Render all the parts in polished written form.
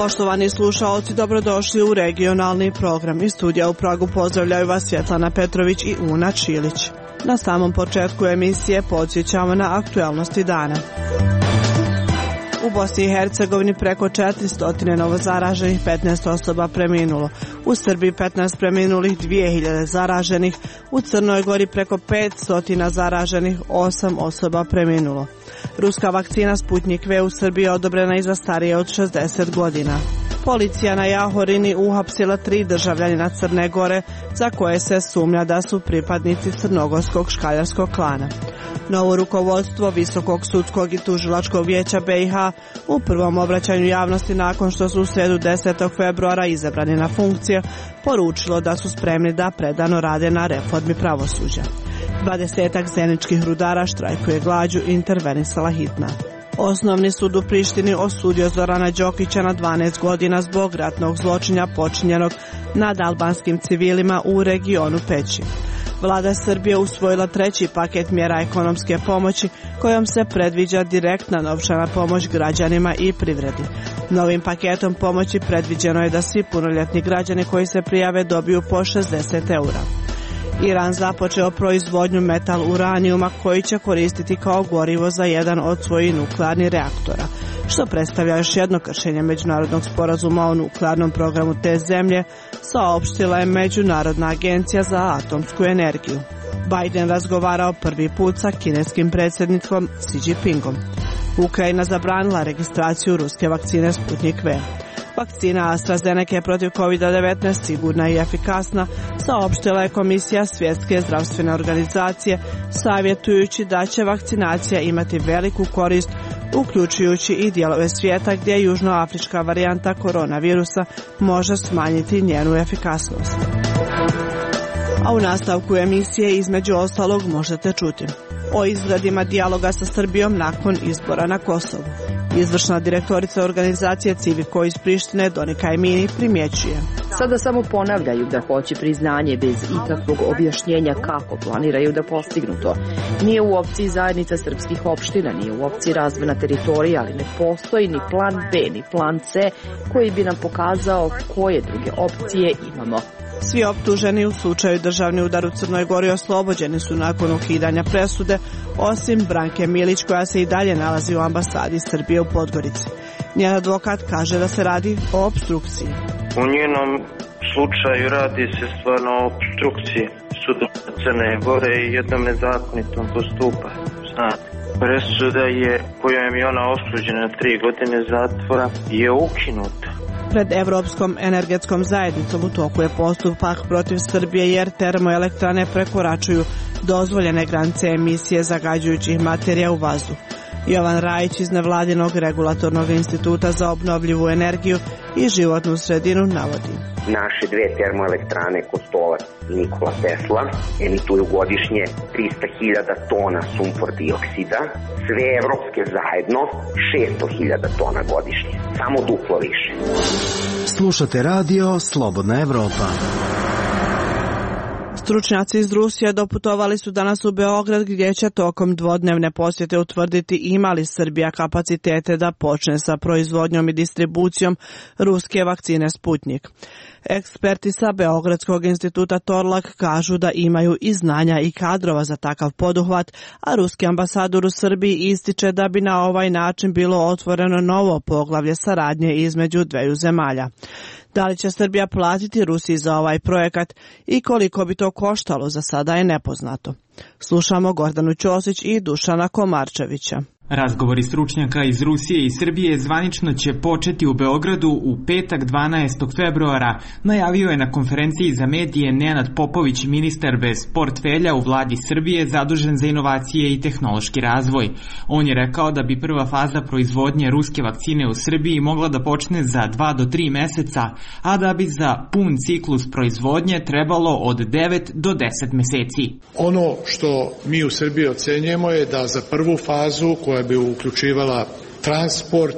Poštovani slušaoci, dobrodošli u regionalni program. Iz studija u Pragu pozdravljaju vas Svjetlana Petrović i Una Čilić. Na samom početku emisije podsjećamo na aktualnosti dana. U Bosni i Hercegovini preko 400 novozaraženih, 15 osoba preminulo. U Srbiji 15 preminulih, 2000 zaraženih. U Crnoj Gori preko 500 zaraženih, 8 osoba preminulo. Ruska vakcina Sputnik V u Srbiji je odobrena i za starije od 60 godina. Policija na Jahorini uhapsila 3 državljanina Crne Gore za koje se sumnja da su pripadnici crnogorskog škaljarskog klana. Novo rukovodstvo Visokog sudskog i tužilačkog vijeća BiH u prvom obraćanju javnosti nakon što su u sredu 10. februara izabrani na funkcije poručilo da su spremni da predano rade na reformi pravosuđa. 20-ak zeničkih rudara štrajkuje glađu, intervenisala hitna. Osnovni sud u Prištini osudio Zorana Đokića na 12 godina zbog ratnog zločina počinjenog nad albanskim civilima u regionu Peći. Vlada Srbije usvojila 3. paket mjera ekonomske pomoći kojom se predviđa direktna novčana pomoć građanima i privredi. Novim paketom pomoći predviđeno je da svi punoljetni građani koji se prijave dobiju po 60 eura. Iran započeo proizvodnju metal uranijuma koji će koristiti kao gorivo za jedan od svojih nuklearnih reaktora, što predstavlja još jedno kršenje međunarodnog sporazuma o nuklearnom programu te zemlje, saopštila je Međunarodna agencija za atomsku energiju. Biden razgovarao prvi put sa kineskim predsjednikom Xi Jinpingom. Ukrajina zabranila registraciju ruske vakcine Sputnik V. Vakcina AstraZeneca protiv COVID-19 sigurna i efikasna, saopštila je Komisija Svjetske zdravstvene organizacije, savjetujući da će vakcinacija imati veliku korist, uključujući i dijelove svijeta gdje južnoafrička varijanta koronavirusa može smanjiti njenu efikasnost. A u nastavku emisije između ostalog možete čuti o izgledima dijaloga sa Srbijom nakon izbora na Kosovu. Izvršna direktorica organizacije Civiko iz Prištine Donika Emini primjećuje: Sada samo ponavljaju da hoće priznanje bez ikakvog objašnjenja kako planiraju da postignu to. Nije u opciji zajednica srpskih opština, nije u opciji razvojna teritorija, ali ne postoji ni plan B, ni plan C koji bi nam pokazao koje druge opcije imamo. Svi optuženi u slučaju državni udar u Crnoj Gori oslobođeni su nakon ukidanja presude, osim Branke Milić koja se i dalje nalazi u ambasadi Srbije u Podgorici. Njen advokat kaže da se radi o opstrukciji. U njenom slučaju radi se stvarno o opstrukciji suda Crne Gore i jednom nezakonitom postupanju. Presuda kojom je ona osuđena na 3 godine zatvora je ukinuta. Pred Evropskom energetskom zajednicom u toku je postupak protiv Srbije jer termoelektrane prekoračuju dozvoljene granice emisije zagađujućih materija u vazduh. Jovan Rajić iz nevladinog regulatornog instituta za obnovljivu energiju i životnu sredinu navodi: Naše 2 termoelektrane Kostolac i Nikola Tesla emituju godišnje 300.000 tona sumpor dioksida, sve evropske zajedno 600.000 tona godišnje, samo duplo više. Slušate radio Slobodna Evropa. Stručnjaci iz Rusije doputovali su danas u Beograd gdje će tokom dvodnevne posjete utvrditi ima li Srbija kapacitete da počne sa proizvodnjom i distribucijom ruske vakcine Sputnik. Eksperti sa Beogradskog instituta Torlak kažu da imaju i znanja i kadrova za takav poduhvat, a ruski ambasador u Srbiji ističe da bi na ovaj način bilo otvoreno novo poglavlje saradnje između dveju zemalja. Da li će Srbija platiti Rusiji za ovaj projekat i koliko bi to koštalo za sada je nepoznato. Slušamo Gordanu Ćosić i Dušana Komarčevića. Razgovori stručnjaka iz Rusije i Srbije zvanično će početi u Beogradu u petak 12. februara, najavio je na konferenciji za medije Nenad Popović, ministar bez portfelja u vladi Srbije zadužen za inovacije i tehnološki razvoj. On je rekao da bi prva faza proizvodnje ruske vakcine u Srbiji mogla da počne za 2 do 3 meseca, a da bi za pun ciklus proizvodnje trebalo od 9 do 10 meseci. Ono što mi u Srbiji ocenjujemo je da za prvu fazu koja bi uključivala transport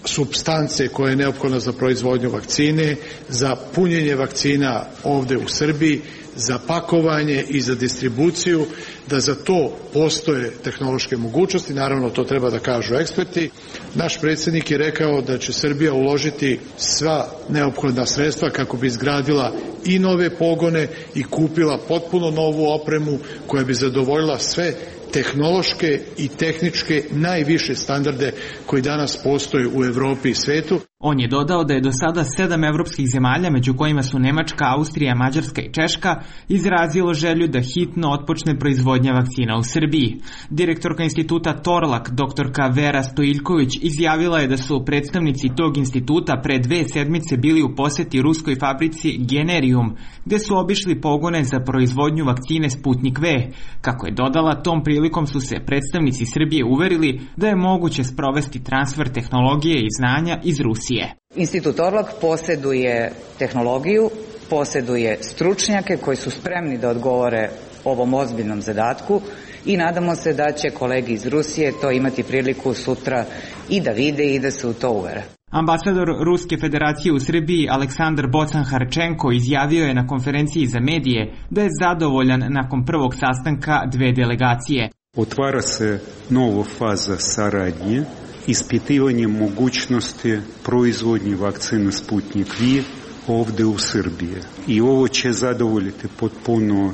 supstance koja je neophodna za proizvodnju vakcine, za punjenje vakcina ovde u Srbiji, za pakovanje i za distribuciju, da za to postoje tehnološke mogućnosti, naravno to treba da kažu eksperti. Naš predsjednik je rekao da će Srbija uložiti sva neophodna sredstva kako bi izgradila i nove pogone i kupila potpuno novu opremu koja bi zadovoljila sve tehnološke i tehničke najviše standarde koji danas postoje u Evropi i svetu. On je dodao da je do sada 7 evropskih zemalja, među kojima su Nemačka, Austrija, Mađarska i Češka, izrazilo želju da hitno otpočne proizvodnja vakcina u Srbiji. Direktorka instituta Torlak, doktorka Vera Stojiljković, izjavila je da su predstavnici tog instituta pre 2 sedmice bili u poseti ruskoj fabrici Generium, gde su obišli pogone za proizvodnju vakcine Sputnik V. Kako je dodala, tom prilikom su se predstavnici Srbije uverili da je moguće sprovesti transfer tehnologije i znanja iz Rusije. Institut Torlak posjeduje tehnologiju, posjeduje stručnjake koji su spremni da odgovore ovom ozbiljnom zadatku i nadamo se da će kolegi iz Rusije to imati priliku sutra i da vide i da se u to uvere. Ambasador Ruske federacije u Srbiji Aleksandar Bocan-Harčenko izjavio je na konferenciji za medije da je zadovoljan nakon prvog sastanka 2 delegacije. Otvara se nova faza saradnje, ispitivanje mogućnosti proizvodnje vakcine Sputnik V ovdje u Srbiji. I ovo će zadovoljiti potpuno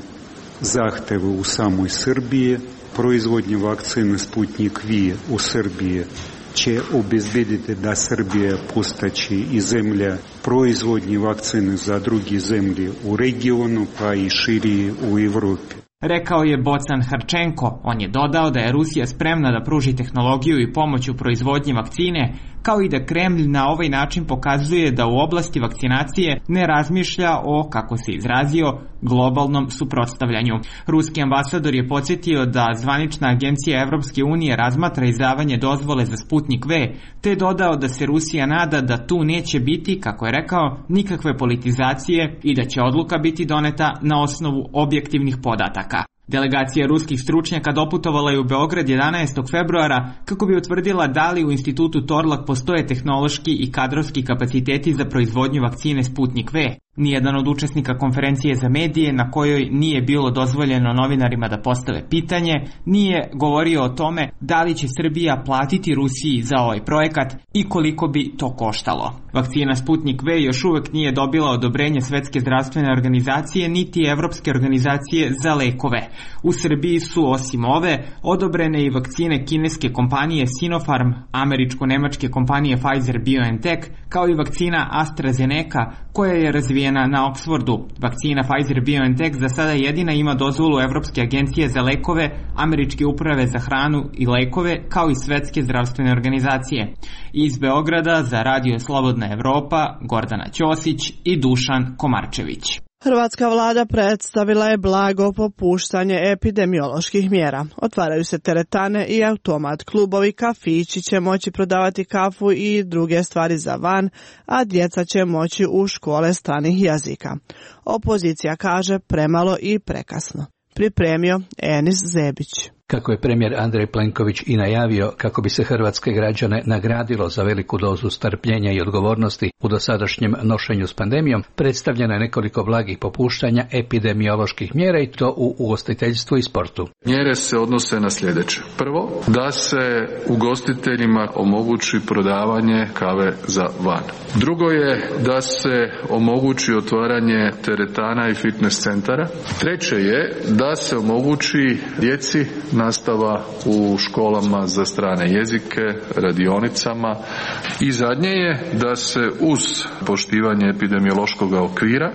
zahteve u samoj Srbiji. Proizvodnje vakcine Sputnik V u Srbiji će obezbediti da Srbija postaće i zemlja proizvodnje vakcine za druge zemlje u regionu, pa i širije u Evropi. Rekao je Bocan-Harčenko. On je dodao da je Rusija spremna da pruži tehnologiju i pomoć u proizvodnji vakcine, kao i da Kremlj na ovaj način pokazuje da u oblasti vakcinacije ne razmišlja o, kako se izrazio, globalnom suprotstavljanju. Ruski ambasador je podsjetio da zvanična agencija Evropske unije razmatra izdavanje dozvole za Sputnik V, te je dodao da se Rusija nada da tu neće biti, kako je rekao, nikakve politizacije i da će odluka biti doneta na osnovu objektivnih podataka. Delegacija ruskih stručnjaka doputovala je u Beograd 11. februara kako bi utvrdila da li u institutu Torlak postoje tehnološki i kadrovski kapaciteti za proizvodnju vakcine Sputnik V. Nijedan od učesnika konferencije za medije, na kojoj nije bilo dozvoljeno novinarima da postave pitanje, nije govorio o tome da li će Srbija platiti Rusiji za ovaj projekat i koliko bi to koštalo. Vakcina Sputnik V još uvek nije dobila odobrenje Svetske zdravstvene organizacije niti Evropske organizacije za lekove. U Srbiji su osim ove odobrene i vakcine kineske kompanije Sinopharm, američko-nemačke kompanije Pfizer-BioNTech, kao i vakcina AstraZeneca koja je razvijena na Oxfordu. Vakcina Pfizer-BioNTech za sada jedina ima dozvolu Evropske agencije za lekove, Američke uprave za hranu i lekove, kao i Svetske zdravstvene organizacije. Iz Beograda za Radio Slobodna Evropa, Gordana Ćosić i Dušan Komarčević. Hrvatska vlada predstavila je blago popuštanje epidemioloških mjera. Otvaraju se teretane i automat klubovi, kafići će moći prodavati kafu i druge stvari za van, a djeca će moći u škole stranih jezika. Opozicija kaže premalo i prekasno. Pripremio Enis Zebić. Kako je premijer Andrej Plenković i najavio, kako bi se hrvatske građane nagradilo za veliku dozu strpljenja i odgovornosti u dosadašnjem nošenju s pandemijom, predstavljeno je nekoliko blagih popuštanja epidemioloških mjera i to u ugostiteljstvu i sportu. Mjere se odnose na sljedeće. Prvo, da se ugostiteljima omogući prodavanje kave za van. Drugo je da se omogući otvaranje teretana i fitness centara. Treće je da se omogući djeci nastava u školama za strane jezike, radionicama i zadnje je da se uz poštivanje epidemiološkog okvira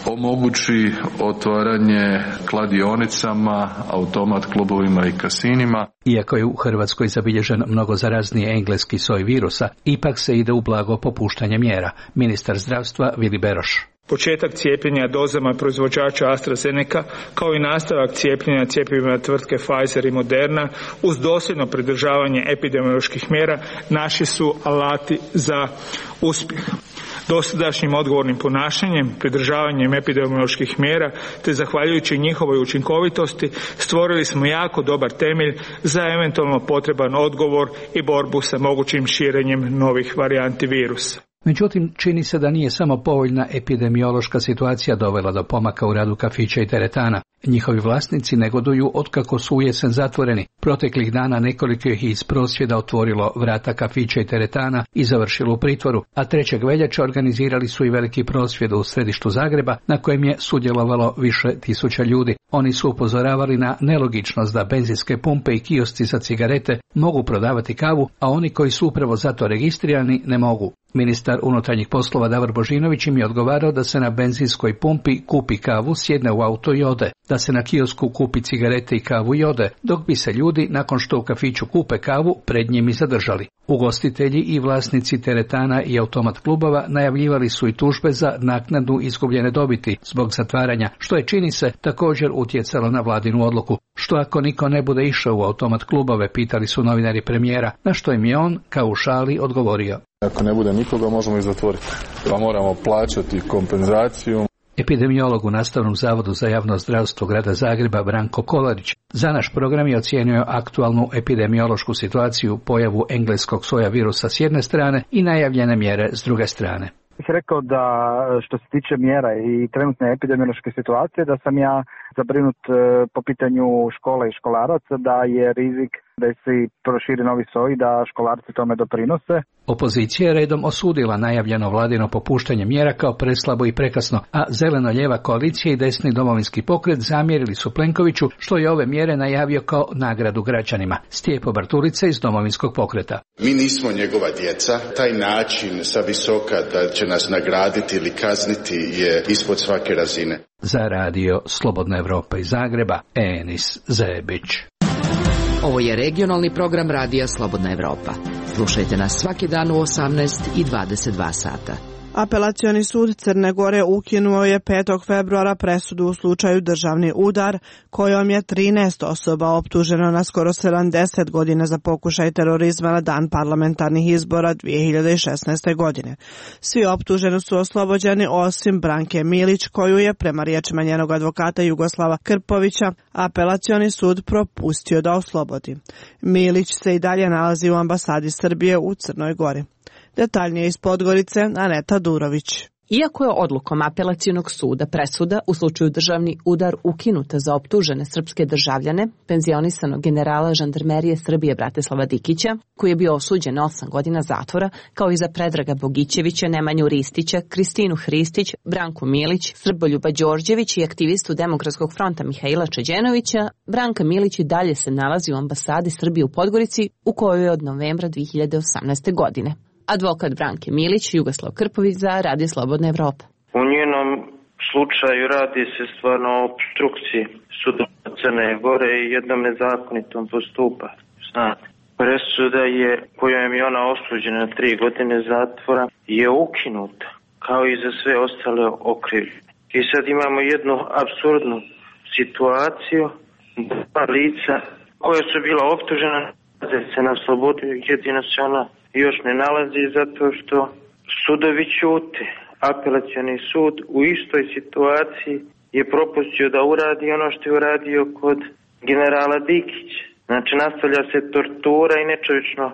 omogući otvaranje kladionicama, automat klubovima i kasinima. Iako je u Hrvatskoj zabilježen mnogo zarazniji engleski soj virusa, ipak se ide u blago popuštanje mjera. Ministar zdravstva Vili Beroš. Početak cijepljenja dozama proizvođača AstraZeneca kao i nastavak cijepljenja cjepivima tvrtke Pfizer i Moderna uz dosljedno pridržavanje epidemioloških mjera naši su alati za uspjeh. Dosadašnjim odgovornim ponašanjem, pridržavanjem epidemioloških mjera te zahvaljujući njihovoj učinkovitosti stvorili smo jako dobar temelj za eventualno potreban odgovor i borbu sa mogućim širenjem novih varijanti virusa. Međutim, čini se da nije samo povoljna epidemiološka situacija dovela do pomaka u radu kafića i teretana. Njihovi vlasnici negoduju otkako su u jesen zatvoreni. Proteklih dana nekoliko ih iz prosvjeda otvorilo vrata kafića i teretana i završilo u pritvoru, a 3. veljače organizirali su i veliki prosvjed u središtu Zagreba na kojem je sudjelovalo više tisuća ljudi. Oni su upozoravali na nelogičnost da benzinske pumpe i kiosci za cigarete mogu prodavati kavu, a oni koji su upravo zato registrirani ne mogu. Ministar unutarnjih poslova Davor Božinović im je odgovarao da se na benzinskoj pumpi kupi kavu, sjedne u auto i ode, da se na kiosku kupi cigarete i kavu i ode, dok bi se ljudi, nakon što u kafiću kupe kavu, pred njim i zadržali. Ugostitelji i vlasnici teretana i automat klubova najavljivali su i tužbe za naknadu izgubljene dobiti zbog zatvaranja, što je, čini se, također utjecalo na vladinu odluku. Što ako niko ne bude išao u automat klubove, pitali su novinari premijera, na što im je on, kao u šali, odgovorio. Ako ne bude nikoga, možemo ih zatvoriti. Pa moramo plaćati kompenzaciju. Epidemiolog u Nastavnom zavodu za javno zdravstvo grada Zagreba Branko Kolarić za naš program je ocijenio aktualnu epidemiološku situaciju, pojavu engleskog soja virusa s jedne strane i najavljene mjere s druge strane. Bih rekao da što se tiče mjera i trenutne epidemiološke situacije, da sam ja zabrinut po pitanju škole i školaraca, da je rizik da se proširi novi soj, da školarci tome doprinose. Opozicija je redom osudila najavljeno vladino popuštanje mjera kao preslabo i prekasno, a zeleno-lijeva koalicija i desni domovinski pokret zamjerili su Plenkoviću što je ove mjere najavio kao nagradu građanima. Stijepo Bartulica iz domovinskog pokreta. Mi nismo njegova djeca. Taj način sa visoka da će nas nagraditi ili kazniti je ispod svake razine. Za radio Slobodna Evropa iz Zagreba, Enis Zebić. Ovo je regionalni program radija Slobodna Evropa. Slušajte nas svaki dan u 18 i 22 sata. Apelacioni sud Crne Gore ukinuo je 5. februara presudu u slučaju Državni udar, kojom je 13 osoba optuženo na skoro 70 godina za pokušaj terorizma na dan parlamentarnih izbora 2016. godine. Svi optuženi su oslobođeni osim Branke Milić, koju je, prema riječima njenog advokata Jugoslava Krpovića, apelacioni sud propustio da oslobodi. Milić se i dalje nalazi u ambasadi Srbije u Crnoj Gori. Detaljnije iz Podgorice, Aneta Durović. Iako je odlukom apelacionog suda presuda u slučaju Državni udar ukinuta za optužene srpske državljane, penzionisanog generala žandarmerije Srbije Bratislava Dikića, koji je bio osuđen na 8 godina zatvora, kao i za Predraga Bogićevića, Nemanju Ristića, Kristinu Hristić, Branku Milić, Srboljuba Đorđević i aktivistu Demokratskog fronta Mihaila Čeđenovića, Branka Milić i dalje se nalazi u ambasadi Srbije u Podgorici, u kojoj je od novembra 2018. godine. Advokat Branke Milić, Jugoslav Krpović za Radio Slobodna Evropa. U njenom slučaju radi se stvarno o opstrukciji suda Crne Gore i jednom nezakonitom postupanju. Znate, presuda je, kojom je ona osuđena na 3 godine zatvora, je ukinuta, kao i za sve ostale okrivljene. I sad imamo jednu apsurdnu situaciju, dva lica koja su bila optužena da se na slobodu, jedino se ona još ne nalazi zato što sudovi ćute. Apelacioni sud u istoj situaciji je propustio da uradi ono što je uradio kod generala Dikića. Znači, nastavlja se tortura i nečovječno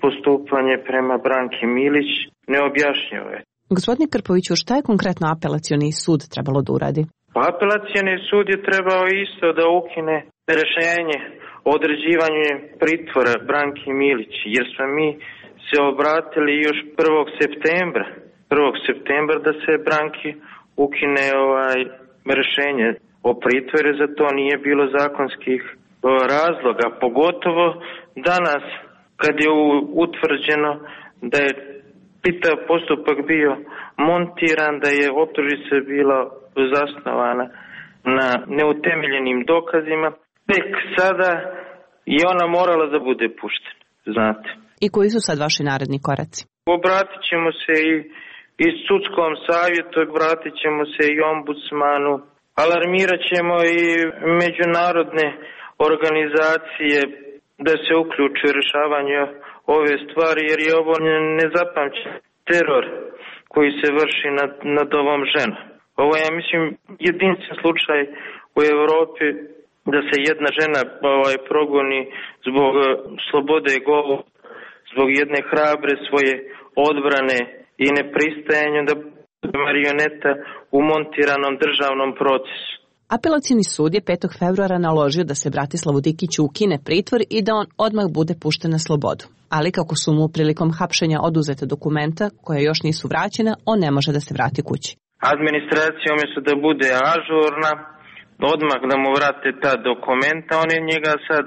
postupanje prema Branki Milić, neobjašnjivo je. Gospodine Krpoviću, šta je konkretno apelacioni sud trebalo da uradi? Pa apelacioni sud je trebao isto da ukine rješenje o određivanju pritvora Branki Milić, jer smo mi se obratili još 1. septembra da se Branki ukine rješenje o pritvoru, za to nije bilo zakonskih razloga, pogotovo danas kad je utvrđeno da je čitav postupak bio montiran, da je optužnica bila zasnovana na neutemeljenim dokazima, tek sada je ona morala da bude puštena, znate. I koji su sad vaši naredni koraci? Obratit ćemo se i sudskom savjetu, obratit ćemo se i ombudsmanu, alarmirat ćemo i međunarodne organizacije da se uključe u rješavanje ove stvari, jer je ovo nezapamćen teror koji se vrši nad ovom ženom. Ovo je, mislim, jedinstven slučaj u Europi da se jedna žena progoni zbog slobode govora, zbog jedne hrabre svoje odbrane i nepristajanju da bude marioneta u montiranom državnom procesu. Apelacioni sud je 5. februara naložio da se Bratislavu Dikiću ukine pritvor i da on odmah bude pušten na slobodu. Ali kako su mu prilikom hapšenja oduzete dokumenta, koja još nisu vraćena, on ne može da se vrati kući. Administracija umjesto da bude ažurna, odmah da mu vrate ta dokumenta, oni njega sad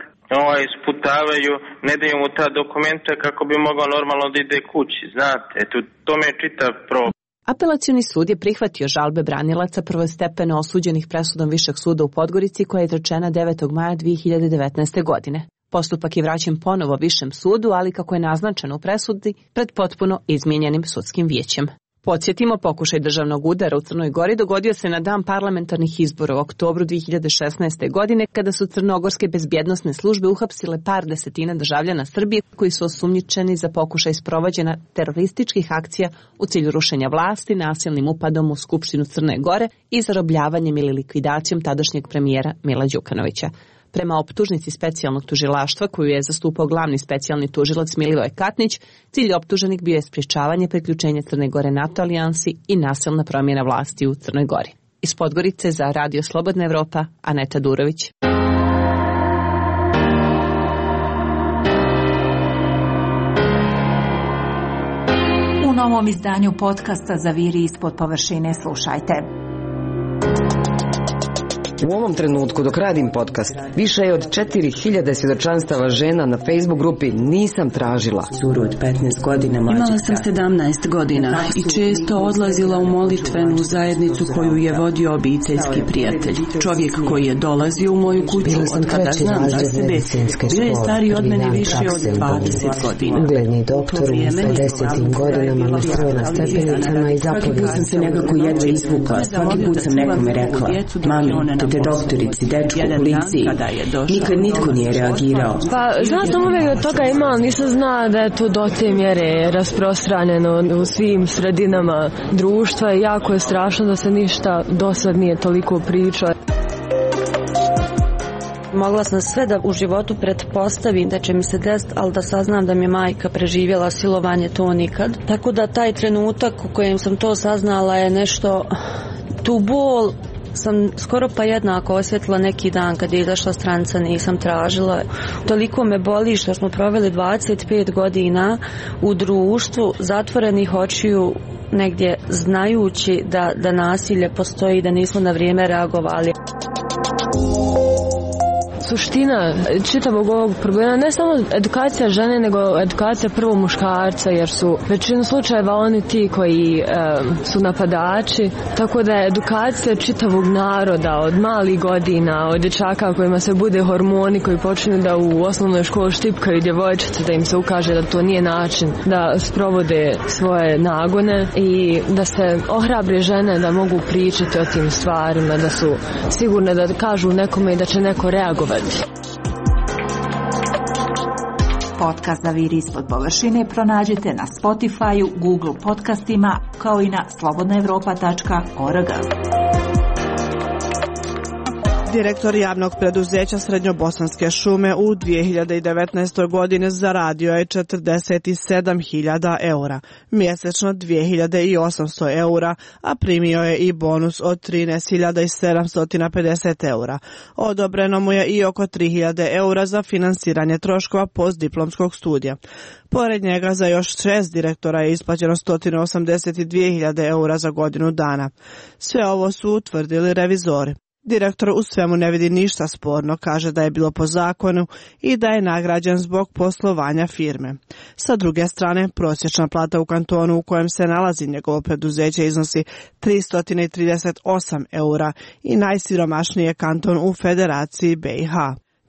isputavaju, ne daju mu ta dokumenta kako bi mogao normalno da ide kući, znate, to me je čitav problem. Apelacioni sud je prihvatio žalbe branilaca prvostepeno osuđenih presudom Višeg suda u Podgorici koja je izrečena 9. maja 2019. godine. Postupak je vraćen ponovo Višem sudu, ali kako je naznačeno u presudi, pred potpuno izmijenjenim sudskim vijećem. Podsjetimo, pokušaj državnog udara u Crnoj Gori dogodio se na dan parlamentarnih izbora u oktobru 2016. godine, kada su crnogorske bezbjednosne službe uhapsile par desetina državljana Srbije koji su osumnjičeni za pokušaj sprovođenja terorističkih akcija u cilju rušenja vlasti, nasilnim upadom u Skupštinu Crne Gore i zarobljavanjem ili likvidacijom tadašnjeg premijera Mila Đukanovića. Prema optužnici specijalnog tužilaštva koju je zastupao glavni specijalni tužilac Milivoje Katnić, cilj optuženih bio je sprječavanje priključenja Crne Gore NATO alijansi i nasilna promjena vlasti u Crnoj Gori. Iz Podgorice za Radio Slobodna Evropa, Aneta Durović. U novom izdanju podcasta Zaviri ispod površine slušajte. U ovom trenutku dok radim podcast, više je od 4000 svjedočanstava žena na Facebook grupi Nisam tražila. Curu od 15 godina mlađe. Imala sam 17 godina i često odlazila u molitvenu zajednicu koju je vodio obiteljski prijatelj. Čovjek koji je dolazio u moju kuću od kada znam za sebe, bio je stariji od mene više od 20 godina. Ugledni doktor u 50. godinama lisao na stepenicama i zapovjedao. Svaki put sam se nekako jedva izvukla, svaki put sam nekome rekla, mami, te doktorici, dečku, policiji. Nikad nitko nije reagirao. Pa, znao sam uvijek od toga ima, ali nisam znao da je to do te mjere rasprostranjeno u svim sredinama društva i jako je strašno da se ništa do sad nije toliko pričalo. Mogla sam sve da u životu pretpostavim da će mi se desiti, ali da saznam da mi je majka preživjela silovanje, to nikad. Tako da taj trenutak u kojem sam to saznala je nešto, tu bol sam skoro pa jednako osjetila neki dan kad je izašla stranca, nisam tražila. Toliko me boli što smo proveli 25 godina u društvu zatvorenih očiju, negdje znajući da nasilje postoji i da nismo na vrijeme reagovali. Suština čitavog ovog problema ne samo edukacija žene, nego edukacija prvo muškarca, jer su većinu slučajeva oni ti koji su napadači, tako da je edukacija čitavog naroda od malih godina, od dječaka kojima se bude hormoni, koji počinju da u osnovnoj školi štipkaju djevojčice, da im se ukaže da to nije način da sprovode svoje nagone i da se ohrabre žene da mogu pričati o tim stvarima, da su sigurne da kažu nekome i da će neko reagovati. Podcast Zaviri ispod površine pronađite na Spotify-u, Google podcastima, kao i na slobodnaevropa.org. Direktor javnog preduzeća Srednjobosanske šume u 2019. godini zaradio je 47.000 eura, mjesečno 2.800 eura, a primio je i bonus od 13.750 eura. Odobreno mu je i oko 3.000 eura za finansiranje troškova postdiplomskog studija. Pored njega za još 6 direktora je isplaćeno 182.000 eura za godinu dana. Sve ovo su utvrdili revizori. Direktor u svemu ne vidi ništa sporno, kaže da je bilo po zakonu i da je nagrađen zbog poslovanja firme. Sa druge strane, prosječna plata u kantonu u kojem se nalazi njegovo preduzeće iznosi 338 eura i najsiromašniji je kanton u Federaciji BiH.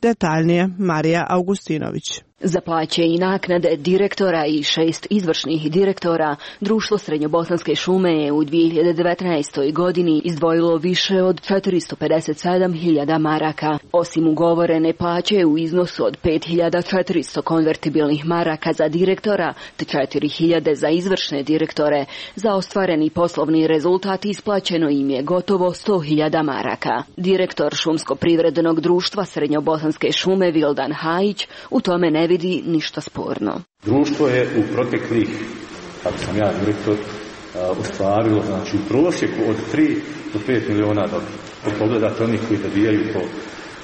Detaljnije Marija Augustinović. Za plaće i naknade direktora i 6 izvršnih direktora, Društvo Srednjobosanske šume je u 2019. godini izdvojilo više od 457.000 maraka. Osim ugovorene plaće u iznosu od 5.400 konvertibilnih maraka za direktora te 4.000 za izvršne direktore, za ostvareni poslovni rezultat isplaćeno im je gotovo 100.000 maraka. Direktor Šumsko-privrednog društva Srednjobosanske šume Vildan Hajić u tome ne vidi ništa sporno. Društvo je u proteklih kako sam ja direktor, ostvarilo, znači u prosjeku od 3 do 5 miliona dobiti. Pogledate onih koji dobijaju po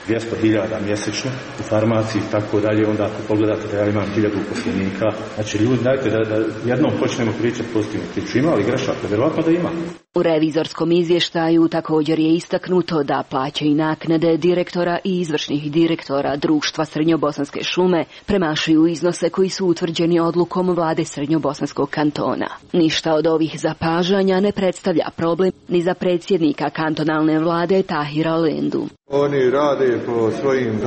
200.000 mjesečno u farmaciji i tako dalje, onda ako pogledate da ja imam 1000 uposlenika, znači ljudi, dajte da jednom počnemo pričati pozitivno priču. Ima li grešaka? Vjerovatno da ima. U revizorskom izvještaju također je istaknuto da plaće i naknade direktora i izvršnih direktora društva Srednjobosanske šume premašuju iznose koji su utvrđeni odlukom vlade Srednjobosanskog kantona. Ništa od ovih zapažanja ne predstavlja problem ni za predsjednika kantonalne vlade Tahira Lendu. Oni rade po svojim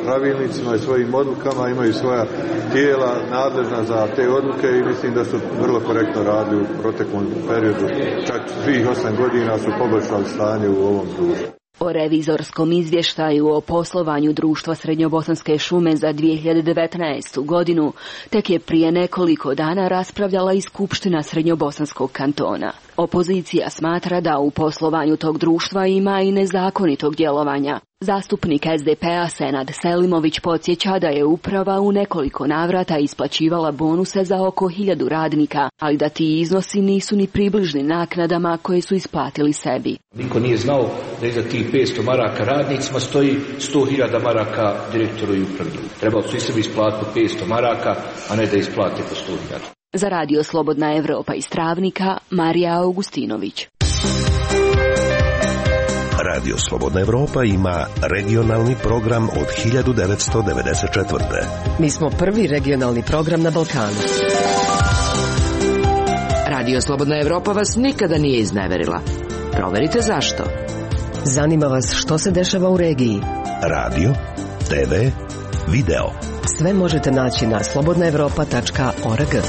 pravilnicima i svojim odlukama, imaju svoja tijela nadležna za te odluke i mislim da su vrlo korektno radili u proteklom periodu. Čak svih 8 godina su poboljšali stanje u ovom društvu. O revizorskom izvještaju o poslovanju društva Srednjobosanske šume za 2019. godinu tek je prije nekoliko dana raspravljala i Skupština Srednjobosanskog kantona. Opozicija smatra da u poslovanju tog društva ima i nezakonitog djelovanja. Zastupnik SDP-a Senad Selimović podsjeća da je uprava u nekoliko navrata isplaćivala bonuse za oko 1000 radnika, ali da ti iznosi nisu ni približni naknadama koje su isplatili sebi. Niko nije znao da iza tih 500 maraka radnicima stoji 100.000 maraka direktoru i upravi. Trebalo su i sebi isplatiti po 500 maraka, a ne da isplate po 100.000. Za Radio Slobodna Evropa iz Travnika, Marija Augustinović. Radio Slobodna Evropa ima regionalni program od 1994. Mi smo prvi regionalni program na Balkanu. Radio Slobodna Evropa vas nikada nije izneverila. Proverite zašto. Zanima vas što se dešava u regiji. Radio, TV, video. Sve možete naći na slobodnaevropa.org.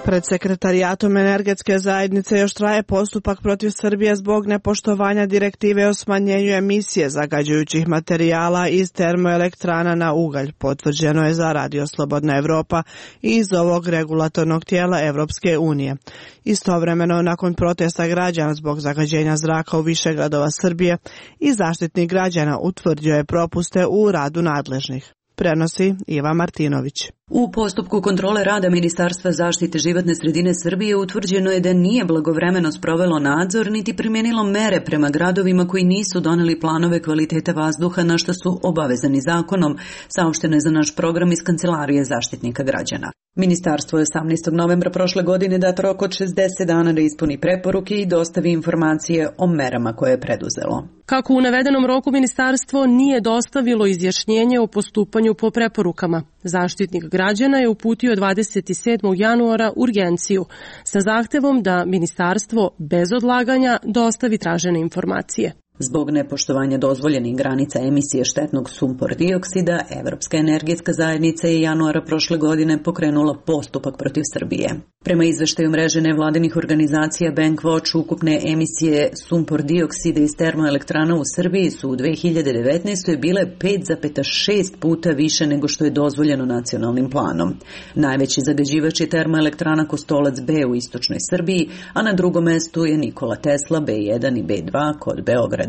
Pred Sekretarijatom energetske zajednice još traje postupak protiv Srbije zbog nepoštovanja direktive o smanjenju emisije zagađujućih materijala iz termoelektrana na ugalj, potvrđeno je za Radio Slobodna Evropa i iz ovog regulatornog tijela Evropske unije. Istovremeno, nakon protesta građana zbog zagađenja zraka u više gradova Srbije, i Zaštitnik građana utvrdio je propuste u radu nadležnih. Prenosi Iva Martinović. U postupku kontrole rada Ministarstva zaštite životne sredine Srbije utvrđeno je da nije blagovremeno sprovelo nadzor niti primijenilo mere prema gradovima koji nisu doneli planove kvalitete vazduha na što su obavezani zakonom, saopšteno je za naš program iz Kancelarije Zaštitnika građana. Ministarstvo je 18. novembra prošle godine dat rok od 60 dana da ispuni preporuke i dostavi informacije o merama koje je preduzelo. Kako u navedenom roku ministarstvo nije dostavilo izjašnjenje o postupanju po preporukama, Zaštitnik građana je uputio 27. januara urgenciju sa zahtevom da ministarstvo bez odlaganja dostavi tražene informacije. Zbog nepoštovanja dozvoljenih granica emisije štetnog sumpor dioksida, Evropska energetska zajednica je januara prošle godine pokrenula postupak protiv Srbije. Prema izveštaju mreže nevladinih organizacija Bankwatch, ukupne emisije sumpor dioksida iz termoelektrana u Srbiji su u 2019. bile 5,6 puta više nego što je dozvoljeno nacionalnim planom. Najveći zagađivač je termoelektrana Kostolac B u istočnoj Srbiji, a na drugom mestu je Nikola Tesla B1 i B2 kod Beograda.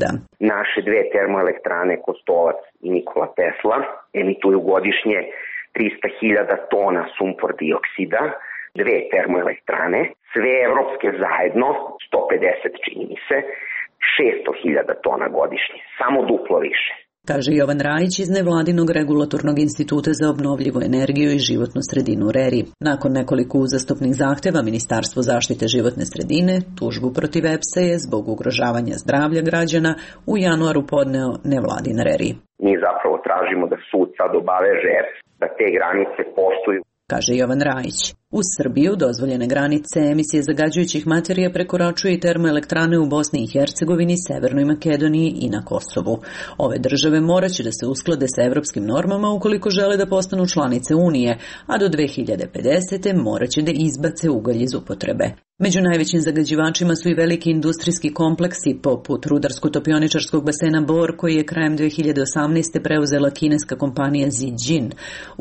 Naše dve termoelektrane Kostolac i Nikola Tesla emituju godišnje 300.000 tona sumpor dioksida, dve termoelektrane, sve evropske zajedno, 150 čini mi se, 600.000 tona godišnje, samo duplo više. Kaže Jovan Rajić iz nevladinog regulatornog instituta za obnovljivu energiju i životnu sredinu RERI. Nakon nekoliko uzastopnih zahteva Ministarstvo zaštite životne sredine tužbu protiv EPS-a je zbog ugrožavanja zdravlja građana u januaru podneo nevladin RERI. Mi zapravo tražimo da sud sad obaveže EPS da te granice poštuju, kaže Jovan Rajić. U Srbiju dozvoljene granice emisije zagađujućih materija prekoračuje i termoelektrane u Bosni i Hercegovini, Severnoj Makedoniji i na Kosovu. Ove države moraće da se usklade sa evropskim normama ukoliko žele da postanu članice Unije, a do 2050. moraće da izbace ugalj iz upotrebe. Među najvećim zagađivačima su i veliki industrijski kompleksi poput rudarsko-topioničarskog basena Bor, koji je krajem 2018. preuzela kineska kompanija Zijin.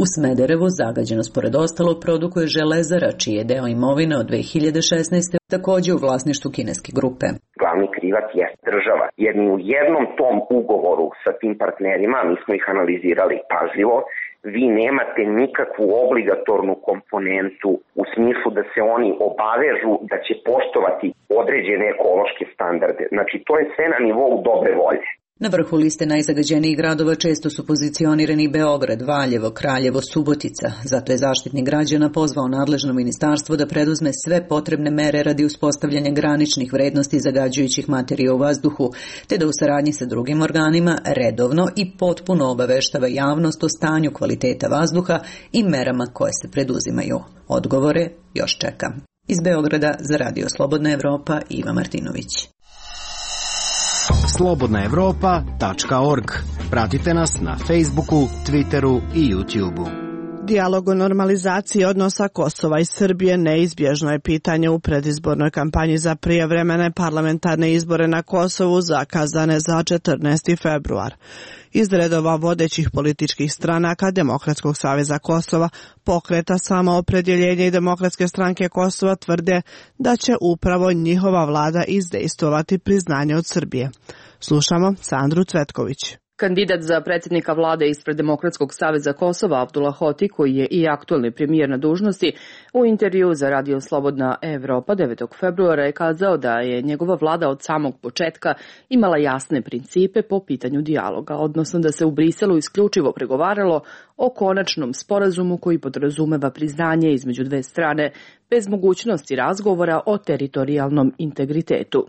U Smederevu zagađenost pored ostalog produkuje Železara, čiji je deo imovine od 2016. također u vlasništvu kineske grupe. Glavni krivac je država, jer ni u jednom tom ugovoru sa tim partnerima, mi smo ih analizirali pažljivo, vi nemate nikakvu obligatornu komponentu u smislu da se oni obavežu da će poštovati određene ekološke standarde. Znači, to je sve na nivou dobre volje. Na vrhu liste najzagađenijih gradova često su pozicionirani Beograd, Valjevo, Kraljevo, Subotica. Zato je Zaštitnik građana pozvao nadležno ministarstvo da preduzme sve potrebne mere radi uspostavljanja graničnih vrednosti zagađujućih materija u vazduhu, te da u saradnji sa drugim organima redovno i potpuno obaveštava javnost o stanju kvaliteta vazduha i merama koje se preduzimaju. Odgovore još čeka. Iz Beograda za Radio Slobodna Evropa, Iva Martinović. slobodnaevropa.org. Pratite nas na Facebooku, Twitteru i YouTubeu. Dijalog o normalizaciji odnosa Kosova i Srbije neizbježno je pitanje u predizbornoj kampanji za prijevremene parlamentarne izbore na Kosovu zakazane za 14. februar. Iz redova vodećih političkih stranaka Demokratskog saveza Kosova, Pokreta Samoopredjeljenja i Demokratske stranke Kosova tvrde da će upravo njihova vlada izdejstvovati priznanje od Srbije. Slušamo Sandru Cvetković. Kandidat za predsjednika vlade ispred Demokratskog saveza Kosova Abdullah Hoti, koji je i aktualni premijer na dužnosti, u intervju za Radio Slobodna Evropa 9. februara je kazao da je njegova vlada od samog početka imala jasne principe po pitanju dijaloga, odnosno da se u Briselu isključivo pregovaralo o konačnom sporazumu koji podrazumeva priznanje između dve strane bez mogućnosti razgovora o teritorijalnom integritetu.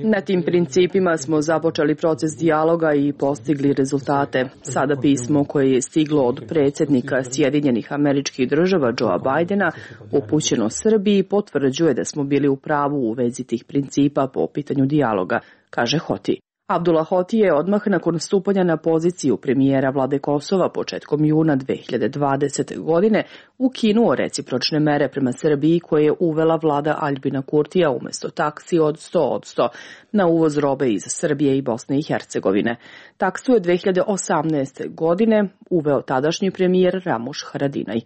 Na tim principima smo započeli proces dijaloga i postigli rezultate. Sada pismo koje je stiglo od predsjednika Sjedinjenih Američkih Država Joea Bidena upućeno Srbiji potvrđuje da smo bili u pravu u vezi tih principa po pitanju dijaloga, kaže Hoti. Abdullah Hoti je odmah nakon stupanja na poziciju premijera vlade Kosova početkom juna 2020. godine ukinuo recipročne mere prema Srbiji koje je uvela vlada Aljbina Kurtija umjesto taksi od 100% na uvoz robe iz Srbije i Bosne i Hercegovine. Taksu je 2018. godine uveo tadašnji premijer Ramuš Haradinaj.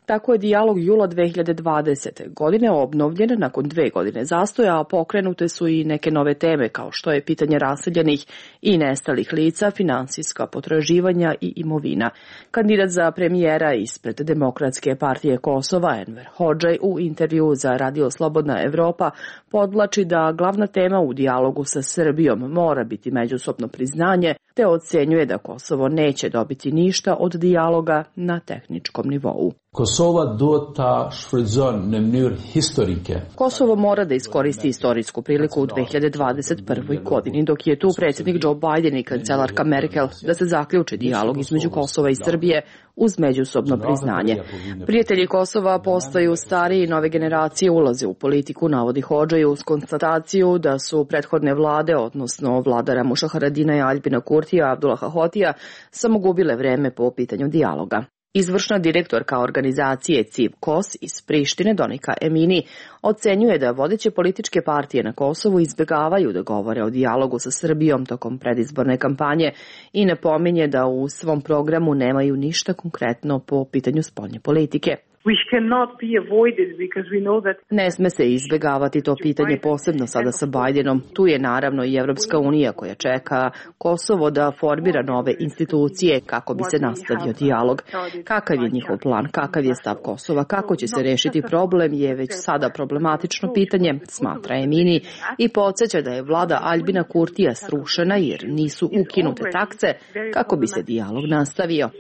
Tako je dijalog jula 2020. godine obnovljen nakon 2 godine zastoja, a pokrenute su i neke nove teme kao što je pitanje raseljenih i nestalih lica, finansijska potraživanja i imovina. Kandidat za premijera ispred Demokratske partije Kosova Enver Hodžaj u intervju za Radio Slobodna Evropa podvlači da glavna tema u dijalogu sa Srbijom mora biti međusobno priznanje, te ocenjuje da Kosovo neće dobiti ništa od dijaloga na tehničkom nivou. Kosovo mora da iskoristi istorijsku priliku u 2021. godini, dok je tu predsjednik Joe Biden i kancelarka Merkel da se zaključi dijalog između Kosova i Srbije uz međusobno priznanje. Prijatelji Kosova postaju stariji i nove generacije ulaze u politiku, navodi Hodžaj uz konstataciju da su prethodne vlade, odnosno vlada Ramuša Haradina i Aljbina Kurtija, Abdullaha Hotija, samo gubile vreme po pitanju dijaloga. Izvršna direktorka organizacije CIV KOS iz Prištine, Donika Emini, ocenjuje da vodeće političke partije na Kosovu izbjegavaju da govore o dijalogu sa Srbijom tokom predizborne kampanje i napominje da u svom programu nemaju ništa konkretno po pitanju spoljne politike. Ne sme se izbjegavati to pitanje, posebno sada sa Bidenom. Tu je naravno i Evropska unija koja čeka Kosovo da formira nove institucije kako bi se nastavio dijalog. Kakav je njihov plan, kakav je stav Kosova, kako će se rešiti problem je već sada problematično pitanje, smatra Emini i podsjeća da je vlada Aljbina Kurtija srušena jer nisu ukinute takse kako bi se dijalog nastavio.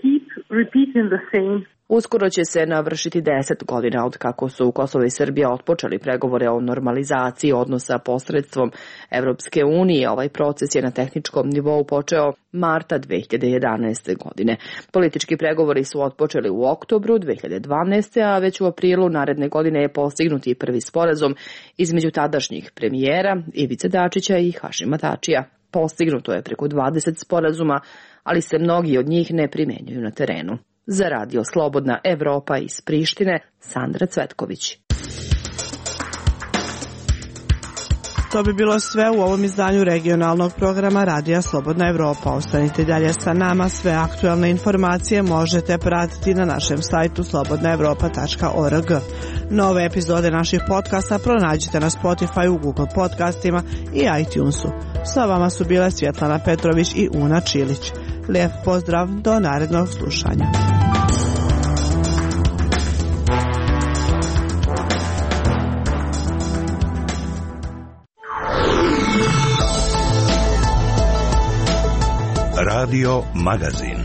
Uskoro će se navršiti 10 godina od kako su Kosovo i Srbija otpočeli pregovore o normalizaciji odnosa posredstvom Evropske unije. Ovaj proces je na tehničkom nivou počeo marta 2011. godine. Politički pregovori su otpočeli u oktobru 2012. a već u aprilu naredne godine je postignut i prvi sporazum između tadašnjih premijera Ivice Dačića i Hašima Tačija. Postignuto je preko 20 sporazuma, ali se mnogi od njih ne primjenjuju na terenu. Za Radio Slobodna Evropa iz Prištine, Sandra Cvetković. To bi bilo sve u ovom izdanju regionalnog programa Radija Slobodna Evropa. Ostanite dalje sa nama, sve aktualne informacije možete pratiti na našem sajtu slobodnaevropa.org. Nove epizode naših podcasta pronađite na Spotify, Google podcastima i iTunesu. Sa vama su bile Svjetlana Petrović i Una Čilić. Lijep pozdrav, do narednog slušanja. Radio Magazin.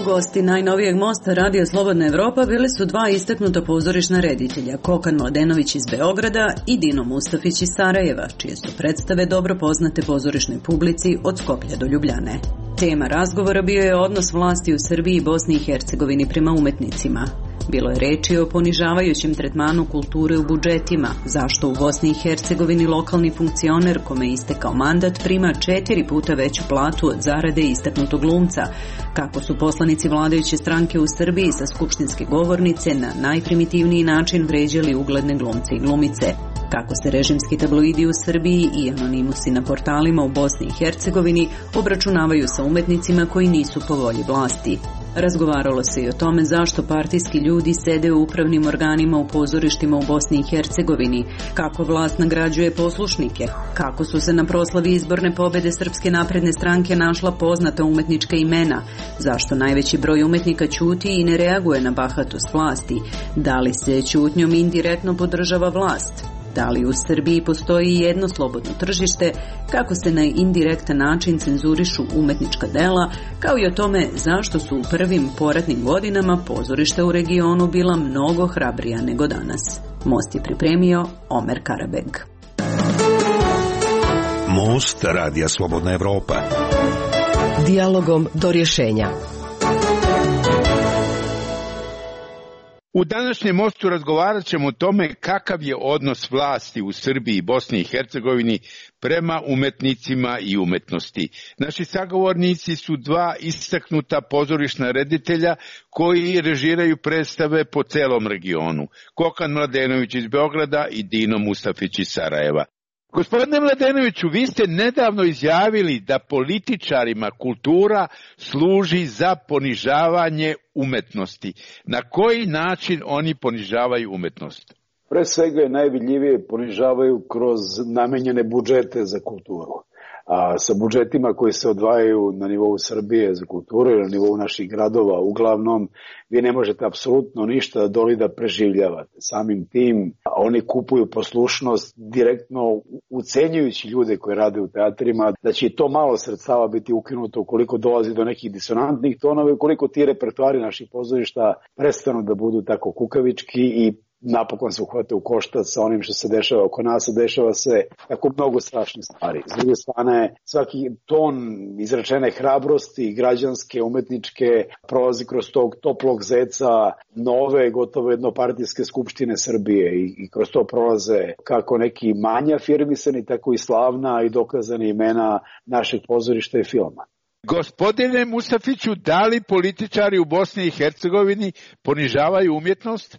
Gosti najnovijeg mosta Radio Slobodna Evropa bili su dva istaknuta pozorišna reditelja, Kokan Mladenović iz Beograda i Dino Mustafić iz Sarajeva, čije su predstave dobro poznate pozorišnoj publici od Skoplja do Ljubljane. Tema razgovora bio je odnos vlasti u Srbiji i Bosni i Hercegovini prema umetnicima. Bilo je reči o ponižavajućem tretmanu kulture u budžetima, zašto u Bosni i Hercegovini lokalni funkcioner kome je istekao mandat prima 4 puta veću platu od zarade istaknutog glumca, kako su poslanici vladajuće stranke u Srbiji sa skupštinske govornice na najprimitivniji način vređali ugledne glumce i glumice, kako se režimski tabloidi u Srbiji i anonimusi na portalima u Bosni i Hercegovini obračunavaju sa umetnicima koji nisu po volji vlasti. Razgovaralo se i o tome zašto partijski ljudi sede u upravnim organima u pozorištima u Bosni i Hercegovini, kako vlast nagrađuje poslušnike, kako su se na proslavi izborne pobede Srpske napredne stranke našla poznata umetnička imena, zašto najveći broj umetnika ćuti i ne reaguje na bahatost vlasti, da li se ćutnjom indirektno podržava vlast. Da li u Srbiji postoji jedno slobodno tržište, kako se na indirektan način cenzurišu umetnička dela, kao i o tome zašto su u prvim poratnim godinama pozorišta u regionu bila mnogo hrabrija nego danas. Most je pripremio Omer Karabeg. Most Radija Slobodna Evropa. Dijalogom do rješenja. U današnjem mostu razgovarat ćemo o tome kakav je odnos vlasti u Srbiji i Bosni i Hercegovini prema umetnicima i umetnosti. Naši sagovornici su dva istaknuta pozorišna reditelja koji režiraju predstave po celom regionu. Kokan Mladenović iz Beograda i Dino Mustafić iz Sarajeva. Gospodine Mladenoviću, vi ste nedavno izjavili da političarima kultura služi za ponižavanje umetnosti. Na koji način oni ponižavaju umetnost? Pre svega je najvidljivije ponižavaju kroz namenjene budžete za kulturu. A sa budžetima koji se odvajaju na nivou Srbije za kulturu ili na nivou naših gradova, uglavnom vi ne možete apsolutno ništa doli da preživljavate. Samim tim oni kupuju poslušnost direktno ucenjujući ljude koji rade u teatrima, da će i to malo sredstava biti ukinuto ukoliko dolazi do nekih disonantnih tonova, ukoliko ti repertoari naših pozorišta prestanu da budu tako kukavički i napokon se uhvate u koštac sa onim što se dešava oko nas, a dešava se tako mnogo strašnih stvari. S druge strane, svaki ton izrečene hrabrosti, građanske, umetničke, prolazi kroz tog toplog zeca nove, gotovo jednopartijske skupštine Srbije i kroz to prolaze kako neki manje afirmisani, tako i slavna i dokazani imena našeg pozorišta i filma. Gospodine Mustafiću, da li političari u Bosni i Hercegovini ponižavaju umjetnost?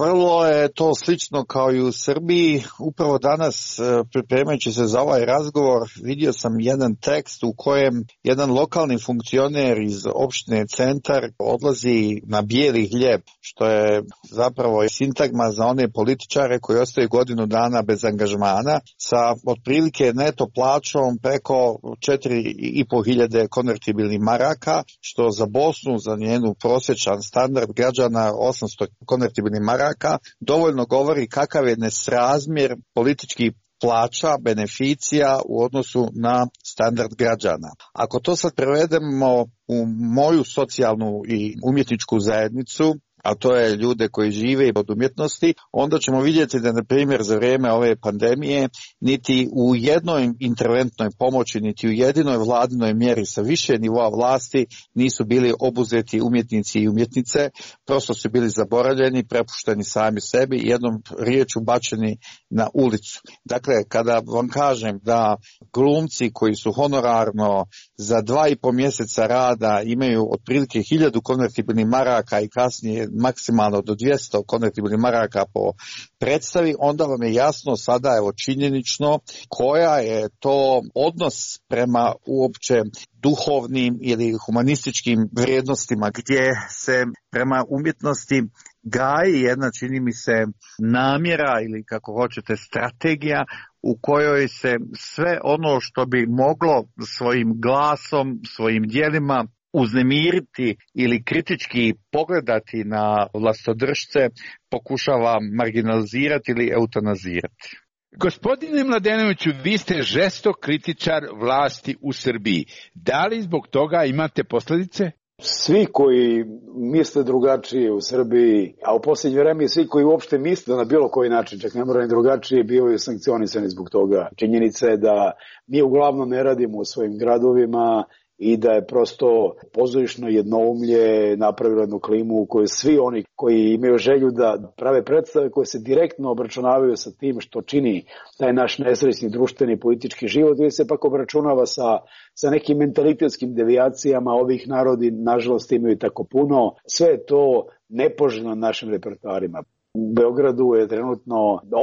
Vrlo je to slično kao i u Srbiji. Upravo danas, pripremajući se za ovaj razgovor, vidio sam jedan tekst u kojem jedan lokalni funkcioner iz opštine Centar odlazi na bijeli hljeb, što je zapravo sintagma za one političare koji ostaju godinu dana bez angažmana, sa otprilike neto plaćom preko 4.500 konvertibilnih maraka, što za Bosnu, za njenu prosječan standard građana 800 konvertibilnih maraka, dovoljno govori kakav je nesrazmjer političkih plaća, beneficija u odnosu na standard građana. Ako to sad prevedemo u moju socijalnu i umjetničku zajednicu, a to je ljude koji žive od umjetnosti, onda ćemo vidjeti da, na primjer, za vrijeme ove pandemije niti u jednoj interventnoj pomoći, niti u jedinoj vladinoj mjeri sa više nivoa vlasti nisu bili obuzeti umjetnici i umjetnice, prosto su bili zaboravljeni, prepušteni sami sebi i jednom riječu bačeni na ulicu. Dakle, kada vam kažem da glumci koji su honorarno za 2,5 mjeseca rada imaju otprilike 1000 konvertibilnih maraka i kasnije maksimalno do 200 konvertibilnih maraka po predstavi, onda vam je jasno sada, evo, činjenično koja je to odnos prema uopće duhovnim ili humanističkim vrijednostima, gdje se prema umjetnosti gaji jedna, čini mi se, namjera ili kako hoćete strategija u kojoj se sve ono što bi moglo svojim glasom, svojim djelima uznemiriti ili kritički pogledati na vlastodržce pokušava marginalizirati ili eutanazirati. Gospodine Mladenoviću, vi ste žestok kritičar vlasti u Srbiji. Da li zbog toga imate posljedice? Svi koji misle drugačije u Srbiji, a u posljednje vreme svi koji uopšte misle na bilo koji način, čak ne mora ni drugačije, bivaju sankcionisani zbog toga. Činjenica je da mi uglavnom ne radimo u svojim gradovima i da je prosto pozorišno jednoumlje napravilo jednu klimu u kojoj svi oni koji imaju želju da prave predstave koje se direktno obračunavaju sa tim što čini taj naš nesrećni društveni politički život, ili se pak obračunava sa nekim mentalitetskim devijacijama. Ovih narodi nažalost imaju tako puno. Sve je to nepoželjno na našim repertoarima. U Beogradu je trenutno,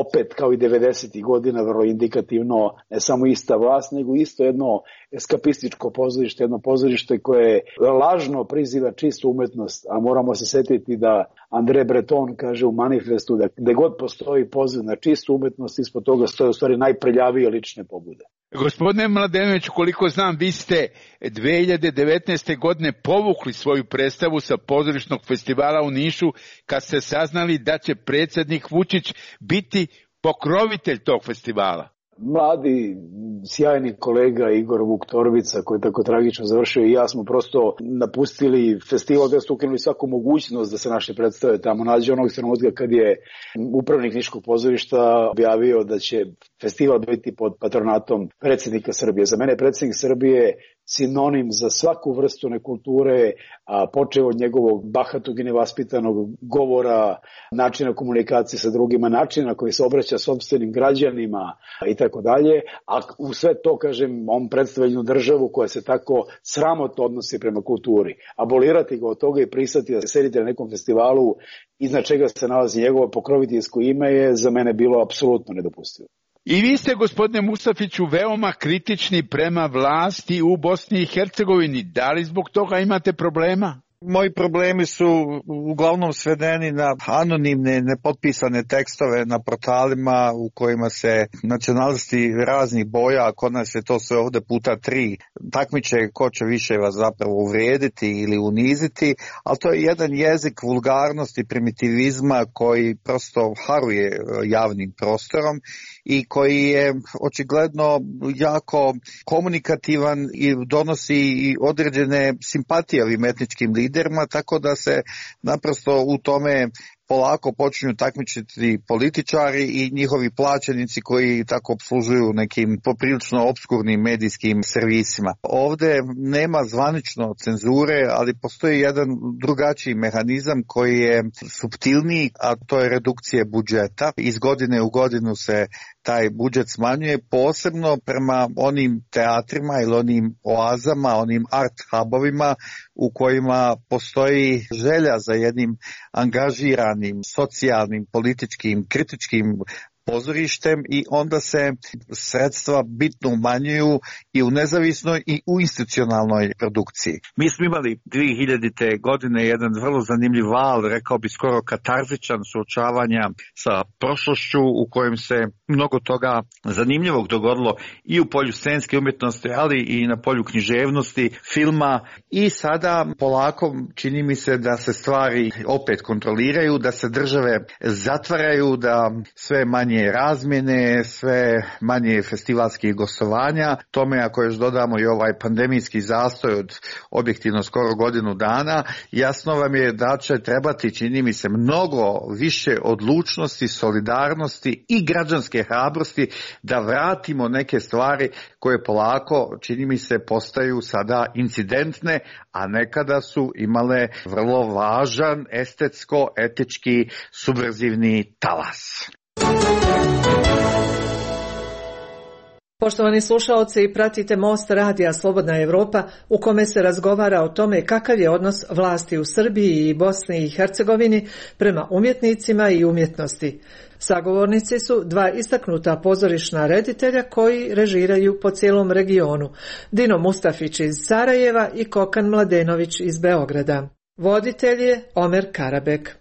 opet kao i 90. godina, vrlo indikativno, ne samo ista vlast, nego isto jedno eskapističko pozorište, jedno pozorište koje lažno priziva čistu umetnost, a moramo se setiti da André Breton kaže u manifestu da gde god postoji poziv na čistu umetnost, ispod toga stoje u stvari najprljavije lične pobude. Gospodine Mladenović, koliko znam, vi ste 2019. godine povukli svoju predstavu sa pozorišnog festivala u Nišu kad ste saznali da će predsjednik Vučić biti pokrovitelj tog festivala. Mladi, sjajni kolega Igor Vuktorvica, koji je tako tragično završio, i ja smo prosto napustili festival, da su ukinuli svaku mogućnost da se naše predstave tamo nađe. Onog trenutka kad je upravnik Niškog pozorišta objavio da će festival biti pod patronatom predsjednika Srbije. Za mene predsjednik Srbije sinonim za svaku vrstu nekulture, a počeo od njegovog bahatog i nevaspitanog govora, načina komunikacije sa drugima, načina na koji se obraća sopstvenim građanima i tako dalje. A u sve to, kažem, on predstavlja jednu državu koja se tako sramotno odnosi prema kulturi. Abolirati ga od toga i pristati da se sedite na nekom festivalu iznad čega se nalazi njegovo pokroviteljsko ime je za mene bilo apsolutno nedopustivo. I vi ste, gospodine Mustafiću, veoma kritični prema vlasti u Bosni i Hercegovini. Da li zbog toga imate problema? Moji problemi su uglavnom svedeni na anonimne, nepotpisane tekstove na portalima u kojima se nacionalisti raznih boja, a kod nas je to sve ovde puta 3, takmiče ko će više vas zapravo uvrijediti ili uniziti, ali to je jedan jezik vulgarnosti, primitivizma koji prosto haruje javnim prostorom i koji je očigledno jako komunikativan i donosi i određene simpatije ovim etničkim liderima, tako da se naprosto u tome polako počinju takmičiti političari i njihovi plaćenici koji tako obslužuju nekim poprilično obskurnim medijskim servisima. Ovde nema zvanično cenzure, ali postoji jedan drugačiji mehanizam koji je suptilniji, a to je redukcija budžeta. Iz godine u godinu se taj budžet smanjuje, posebno prema onim teatrima ili onim oazama, onim art hubovima u kojima postoji želja za jednim angažiranim, socijalnim, političkim, kritičkim pozorištem i onda se sredstva bitno umanjuju i u nezavisnoj i u institucionalnoj produkciji. Mi smo imali 2000. godine jedan vrlo zanimljiv val, rekao bi skoro katarzičan, suočavanja sa prošlošću u kojem se mnogo toga zanimljivog dogodilo i u polju scenske umjetnosti, ali i na polju književnosti, filma, i sada polako čini mi se da se stvari opet kontroliraju, da se države zatvaraju, da sve manje razmjene, sve manje festivalskih gostovanja. Tome ako još dodamo i ovaj pandemijski zastoj od objektivno skoro godinu dana, jasno vam je da će trebati, čini mi se, mnogo više odlučnosti, solidarnosti i građanske hrabrosti da vratimo neke stvari koje polako, čini mi se, postaju sada incidentne, a nekada su imale vrlo važan estetsko-etički subverzivni talas. Poštovani slušaoci, pratite Most radija Slobodna Evropa u kome se razgovara o tome kakav je odnos vlasti u Srbiji i Bosni i Hercegovini prema umjetnicima i umjetnosti. Sagovornici su dva istaknuta pozorišna reditelja koji režiraju po cijelom regionu, Dino Mustafić iz Sarajeva i Kokan Mladenović iz Beograda. Voditelj je Omer Karabek.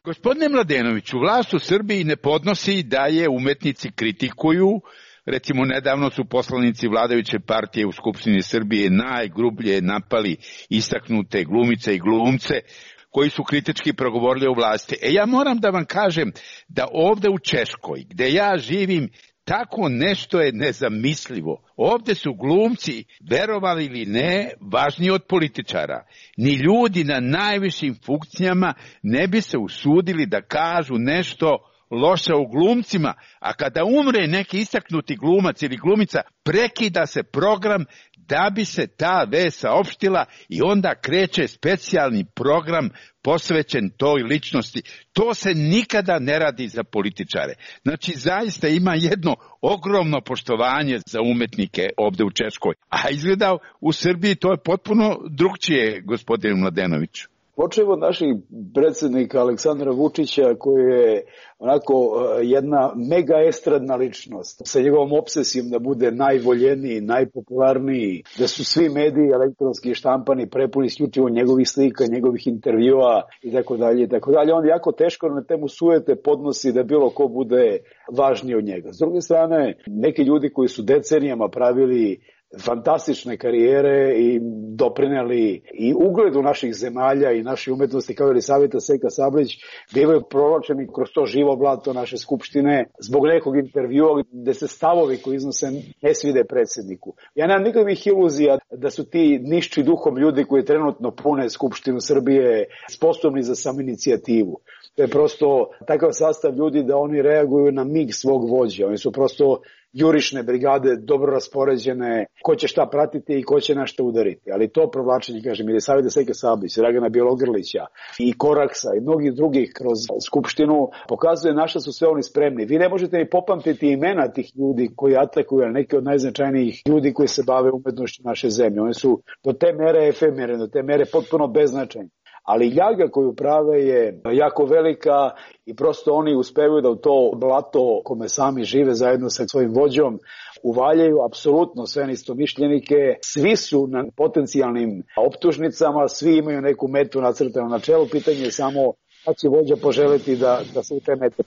Gospodine Mladenoviću, vlast u Srbiji ne podnosi da je umetnici kritikuju. Recimo, nedavno su poslanici vladajuće partije u Skupštini Srbije najgrublje napali istaknute glumice i glumce koji su kritički progovorili o vlasti. Ja moram da vam kažem da ovde u Češkoj, gde ja živim, tako nešto je nezamislivo. Ovde su glumci, verovali ili ne, važniji od političara. Ni ljudi na najvišim funkcijama ne bi se usudili da kažu nešto loše o glumcima, a kada umre neki istaknuti glumac ili glumica, prekida se program da bi se ta vest saopštila i onda kreće specijalni program posvećen toj ličnosti. To se nikada ne radi za političare. Znači, zaista ima jedno ogromno poštovanje za umetnike ovde u Češkoj. A izgleda u Srbiji to je potpuno drugčije, gospodine Mladenoviću. Počevo od naših predsjednika Aleksandra Vučića, koji je onako jedna mega estradna ličnost, sa njegovom obsesijom da bude najvoljeniji, najpopularniji, da su svi mediji elektronski štampani prepuni isključivo njegovih slika, njegovih intervjua i tako dalje i tako dalje. On jako teško na temu sujete podnosi da bilo ko bude važniji od njega. S druge strane, neki ljudi koji su decenijama pravili fantastične karijere i doprineli i ugledu naših zemalja i naše umetnosti kao Elisaveta Seka Sablić bivaju provlačeni kroz to živo blato naše skupštine zbog nekog intervjua gde se stavovi koji iznose ne svide predsjedniku. Ja nemam nikakvih iluzija da su ti nišći duhom ljudi koji trenutno pune Skupštinu Srbije sposobni za samoinicijativu. To je prosto takav sastav ljudi da oni reaguju na mig svog vođa. Oni su prosto jurišne brigade, dobro raspoređene, ko će šta pratiti i ko će na šta udariti. Ali to provlačenje, kažem, Elisaveta Seke Sablić, Dragana Bjelogrlića i Koraksa i mnogih drugih kroz Skupštinu pokazuje na šta su sve oni spremni. Vi ne možete ni popamtiti imena tih ljudi koji atakuju, neki od najznačajnijih ljudi koji se bave umetnošću naše zemlje. Oni su do te mere efemerne, do te mere potpuno beznačajni. Ali ljaga koju prave je jako velika i prosto oni uspevaju da u to blato kome sami žive zajedno sa svojim vođom uvaljaju apsolutno sve neistomišljenike. Svi su na potencijalnim optužnicama, svi imaju neku metu nacrtanu na čelu. Pitanje je samo kada će vođa poželeti da se u te mete.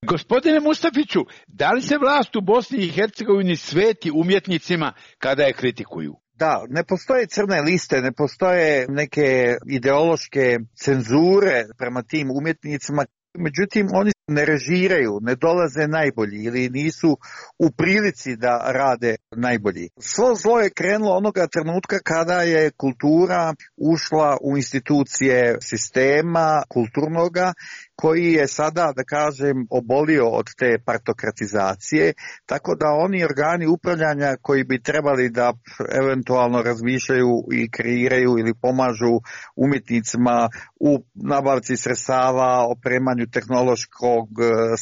Gospodine Mustafiću, da li se vlast u Bosni i Hercegovini sveti umjetnicima kada je kritikuju? Da, ne postoje crne liste, ne postoje neke ideološke cenzure prema tim umjetnicima, međutim oni ne režiraju, ne dolaze najbolji ili nisu u prilici da rade najbolji. Svo zlo je krenulo onoga trenutka kada je kultura ušla u institucije sistema kulturnoga koji je sada, da kažem, obolio od te partokratizacije, tako da oni organi upravljanja koji bi trebali da eventualno razmišljaju i kreiraju ili pomažu umjetnicima u nabavci sredstava, opremanju tehnološkog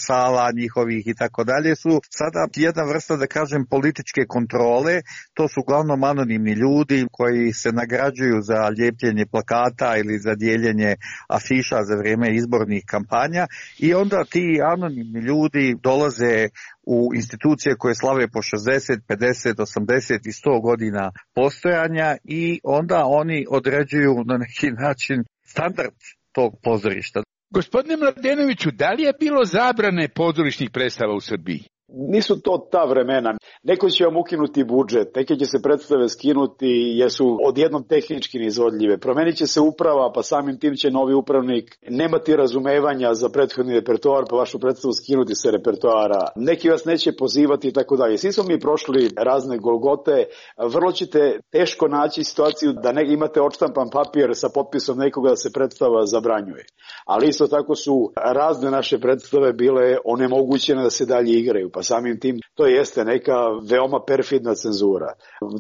sala njihovih i tako dalje, su sada jedna vrsta, da kažem, političke kontrole. To su uglavnom anonimni ljudi koji se nagrađuju za ljepljenje plakata ili za dijeljenje afiša za vrijeme izbornih kampanja i onda ti anonimni ljudi dolaze u institucije koje slave po 60, 50, 80 i 100 godina postojanja i onda oni određuju na neki način standard tog pozorišta. Gospodine Mladenoviću, da li je bilo zabrane pozorišnih predstava u Srbiji? Nisu to ta vremena. Neko će vam ukinuti budžet, neke će se predstave skinuti jer su odjednom tehnički neizvodljive. Promenit će se uprava, pa samim tim će novi upravnik nemati razumevanja za prethodni repertoar, pa vašu predstavu skinuti sa repertoara. Neki vas neće pozivati i tako dalje. Svi smo mi prošli razne golgote. Vrlo ćete teško naći situaciju da imate odštampan papir sa potpisom nekoga da se predstava zabranjuje. Ali isto tako su razne naše predstave bile onemogućene da se dalje igraju. pa samim tim to jeste neka veoma perfidna cenzura.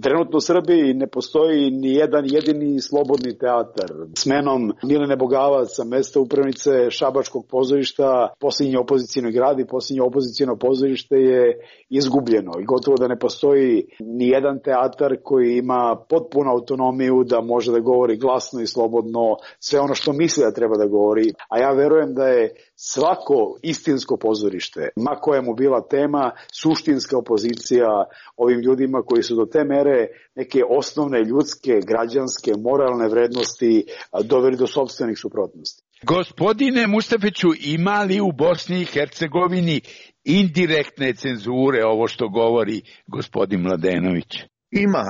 Trenutno u Srbiji ne postoji ni jedan jedini slobodni teatar. Smenom Milene Bogavac sa mesta upravnice Šabačkog pozorišta, posljednji opozicijni grad i posljednje opozicijno pozorište je izgubljeno i gotovo da ne postoji ni jedan teatar koji ima potpunu autonomiju da može da govori glasno i slobodno sve ono što misli da treba da govori. A ja verujem da je svako istinsko pozorište, ma koja mu bila tema, suštinska opozicija ovim ljudima koji su do te mere neke osnovne ljudske, građanske, moralne vrednosti doveli do sopstvenih suprotnosti. Gospodine Mustafiću, ima li u Bosni i Hercegovini indirektne cenzure, ovo što govori gospodin Mladenović?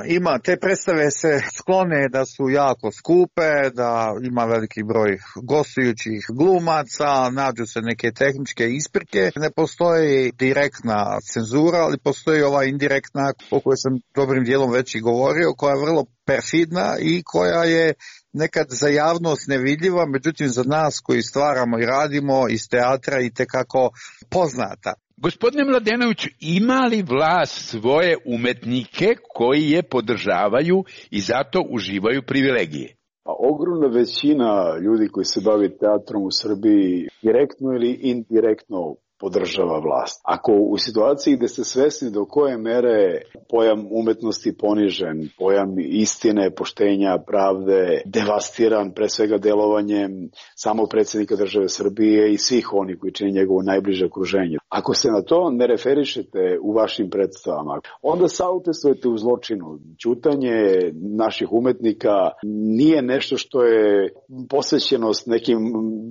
Ima. Te predstave se sklone da su jako skupe, da ima veliki broj gostujućih glumaca, nađu se neke tehničke isprike. Ne postoji direktna cenzura, ali postoji ova indirektna, o kojoj sam dobrim dijelom već i govorio, koja je vrlo perfidna i koja je nekad za javnost nevidljiva, međutim za nas koji stvaramo i radimo iz teatra i tekako poznata. Gospodine Mladenoviću, ima li vlast svoje umetnike koji je podržavaju i zato uživaju privilegije? Pa ogromna većina ljudi koji se bavi teatrom u Srbiji direktno ili indirektno podržava vlast. Ako u situaciji gde ste svesni do koje mere pojam umetnosti ponižen, pojam istine, poštenja, pravde, devastiran pre svega delovanjem samog predsjednika države Srbije i svih onih koji čini njegovo najbliže okruženje. Ako se na to ne referišete u vašim predstavama, onda saučestvujete u zločinu. Ćutanje naših umetnika nije nešto što je posvećenost nekim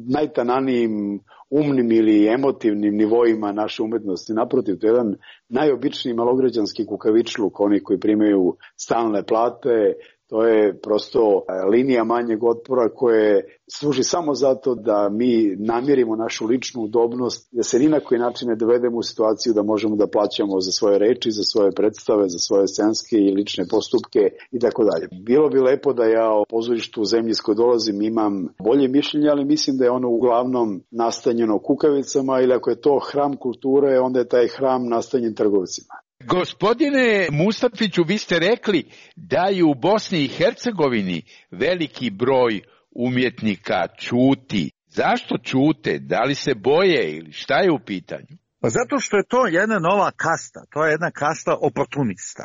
najtananijim umnim ili emotivnim nivoima naše umetnosti. Naprotiv, to je jedan najobičniji malograđanski kukavičluk, oni koji primaju stalne plate. To je prosto linija manjeg otpora koje služi samo zato da mi namirimo našu ličnu udobnost, da se ni na koji način ne dovedemo u situaciju da možemo da plaćamo za svoje reči, za svoje predstave, za svoje scenske i lične postupke i tako dalje. Bilo bi lepo da ja o pozorištu u zemlji s kojoj dolazim imam bolje mišljenje, ali mislim da je ono uglavnom nastanjeno kukavicama, ili ako je to hram kulture, onda je taj hram nastanjen trgovcima. Gospodine Mustafiću, vi ste rekli da je u Bosni i Hercegovini veliki broj umjetnika ćuti. Zašto ćute? Da li se boje ili šta je u pitanju? Pa zato što je to jedna nova kasta, to je jedna kasta oportunista.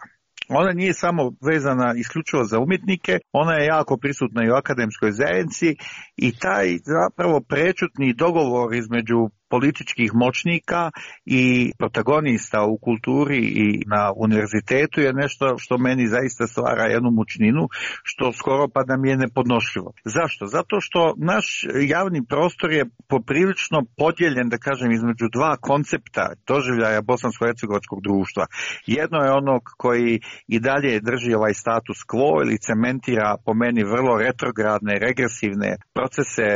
Ona nije samo vezana isključivo za umjetnike, ona je jako prisutna i u akademskoj zajednici i taj zapravo prečutni dogovor između političkih moćnika i protagonista u kulturi i na univerzitetu je nešto što meni zaista stvara jednu mučninu, što skoro pa da mi je nepodnošljivo. Zašto? Zato što naš javni prostor je poprilično podijeljen, da kažem, između dva koncepta doživljaja bosansko-hercegovačkog društva. Jedno je onog koji i dalje drži ovaj status quo ili cementira po meni vrlo retrogradne, regresivne procese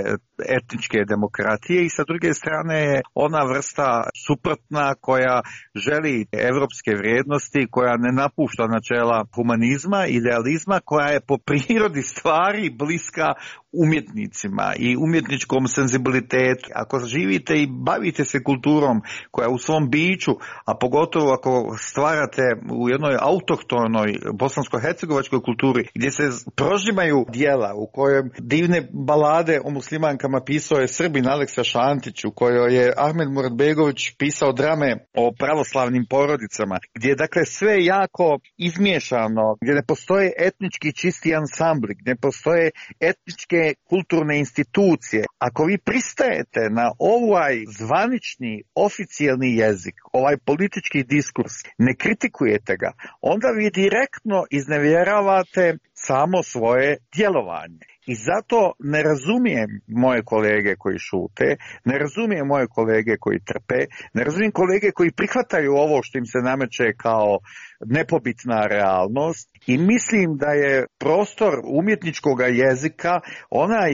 etničke demokratije i sa druge strane je ona vrsta suprotna koja želi evropske vrijednosti, koja ne napušta načela humanizma, idealizma, koja je po prirodi stvari bliska umjetnicima i umjetničkom senzibilitetu. Ako živite i bavite se kulturom koja u svom biću, a pogotovo ako stvarate u jednoj autohtonoj bosansko-hercegovačkoj kulturi gdje se prožimaju dijela u kojem divne balade o muslimankama pisao je Srbin Aleksa Šantić, u kojoj je Ahmed Muratbegović pisao drame o pravoslavnim porodicama, gdje je dakle sve jako izmiješano, gdje ne postoje etnički čisti ansambli, gdje ne postoje etničke kulturne institucije. Ako vi pristajete na ovaj zvanični, oficijalni jezik, ovaj politički diskurs, ne kritikujete ga, onda vi direktno iznevjeravate samo svoje djelovanje. I zato ne razumijem moje kolege koji šute, ne razumijem moje kolege koji trpe, ne razumijem kolege koji prihvataju ovo što im se nameće kao nepobitna realnost i mislim da je prostor umjetničkog jezika onaj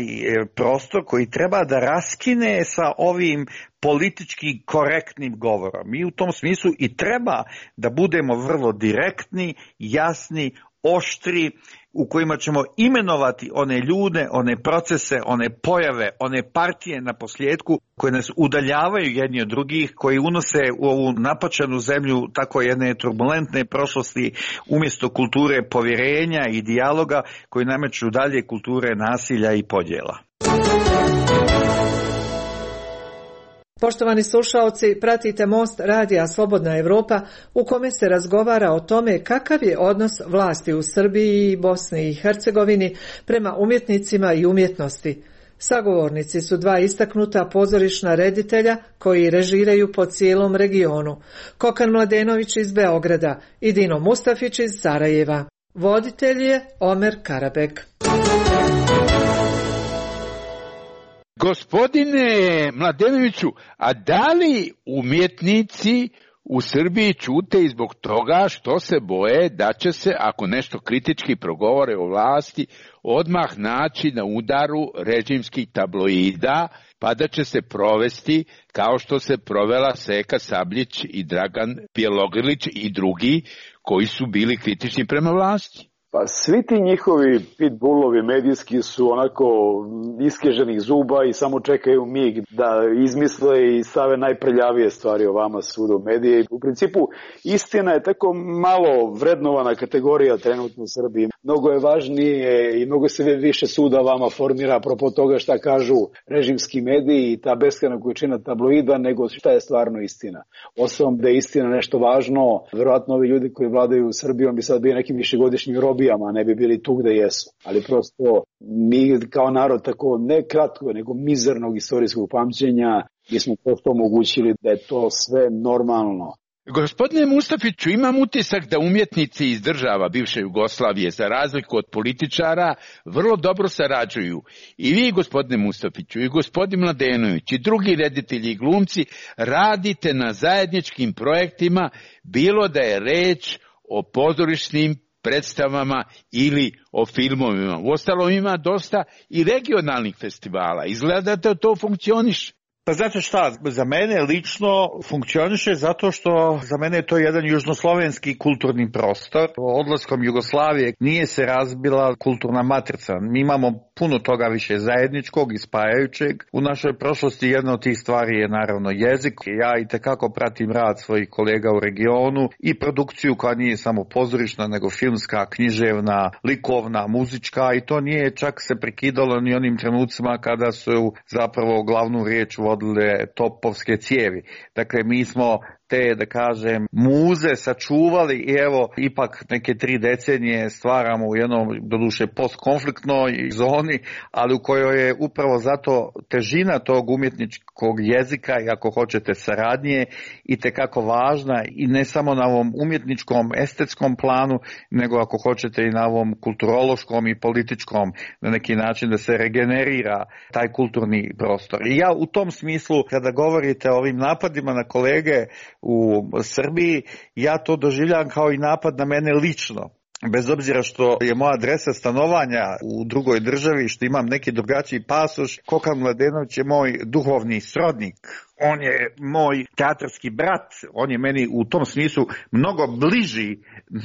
prostor koji treba da raskine sa ovim politički korektnim govorom. Mi u tom smislu i treba da budemo vrlo direktni, jasni, oštri, u kojima ćemo imenovati one ljude, one procese, one pojave, one partije na posljedku koje nas udaljavaju jedni od drugih, koji unose u ovu napačenu zemlju tako jedne turbulentne prošlosti umjesto kulture povjerenja i dijaloga koji nameću dalje kulture nasilja i podjela. Poštovani slušaoci, pratite Most radija Slobodna Evropa u kome se razgovara o tome kakav je odnos vlasti u Srbiji i Bosni i Hercegovini prema umjetnicima i umjetnosti. Sagovornici su dva istaknuta pozorišna reditelja koji režiraju po cijelom regionu. Kokan Mladenović iz Beograda i Dino Mustafić iz Sarajeva. Voditelj je Omer Karabek. Gospodine Mladenoviću, a da li umjetnici u Srbiji ćute i zbog toga što se boje da će se, ako nešto kritički progovore o vlasti, odmah naći na udaru režimskih tabloida, pa da će se provesti kao što se provela Seka Sabljić i Dragan Bjelogrlić i drugi koji su bili kritični prema vlasti? Pa svi ti njihovi pitbullovi medijski su onako iskeženih zuba i samo čekaju mig da izmisle i stave najprljavije stvari o vama svuda u medije. U principu istina je tako malo vrednovana kategorija trenutno u Srbiji. Mnogo je važnije i mnogo se više suda vama formira apropo toga šta kažu režimski mediji i ta beskrajna količina tabloida nego šta je stvarno istina. Osim da je istina nešto važno, verovatno ovi ljudi koji vladaju Srbijom bi sad bili nekim višegodišnjim robijama, ne bi bili tu gde jesu. Ali prosto mi kao narod tako ne kratko, nego mizernog istorijskog pamćenja mi smo prosto omogućili da je to sve normalno. Gospodine Mustafiću, imam utisak da umjetnici iz država bivše Jugoslavije, za razliku od političara, vrlo dobro sarađuju. I vi, gospodine Mustafiću, i gospodin Mladenović, i drugi reditelji i glumci radite na zajedničkim projektima, bilo da je reč o pozorišnim predstavama ili o filmovima. Uostalom ima dosta i regionalnih festivala. Izgleda da to funkcioniše. Pa znate šta, za mene lično funkcioniše zato što za mene je to jedan južnoslovenski kulturni prostor. Odlaskom Jugoslavije nije se razbila kulturna matrica. Mi imamo puno toga više zajedničkog i spajajućeg. U našoj prošlosti jedna od tih stvari je naravno jezik. Ja itekako pratim rad svojih kolega u regionu i produkciju koja nije samo pozorišna nego filmska, književna, likovna, muzička i to nije čak se prekidalo ni onim trenucima kada su zapravo glavnu riječ vodile topovske cijevi. Dakle, mi smo te, da kažem, muze sačuvali i evo, ipak neke 3 decenije stvaramo u jednom, doduše, postkonfliktnoj zoni, ali u kojoj je upravo zato težina tog umjetničkog jezika i ako hoćete saradnje itekako važna i ne samo na ovom umjetničkom, estetskom planu, nego ako hoćete i na ovom kulturološkom i političkom, na neki način da se regenerira taj kulturni prostor. I ja u tom smislu, kada govorite o ovim napadima na kolege u Srbiji, ja to doživljam kao i napad na mene lično. Bez obzira što je moja adresa stanovanja u drugoj državi, što imam neki drugačiji pasoš, Kokan Mladenović je moj duhovni srodnik. On je moj teatarski brat, on je meni u tom smislu mnogo bliži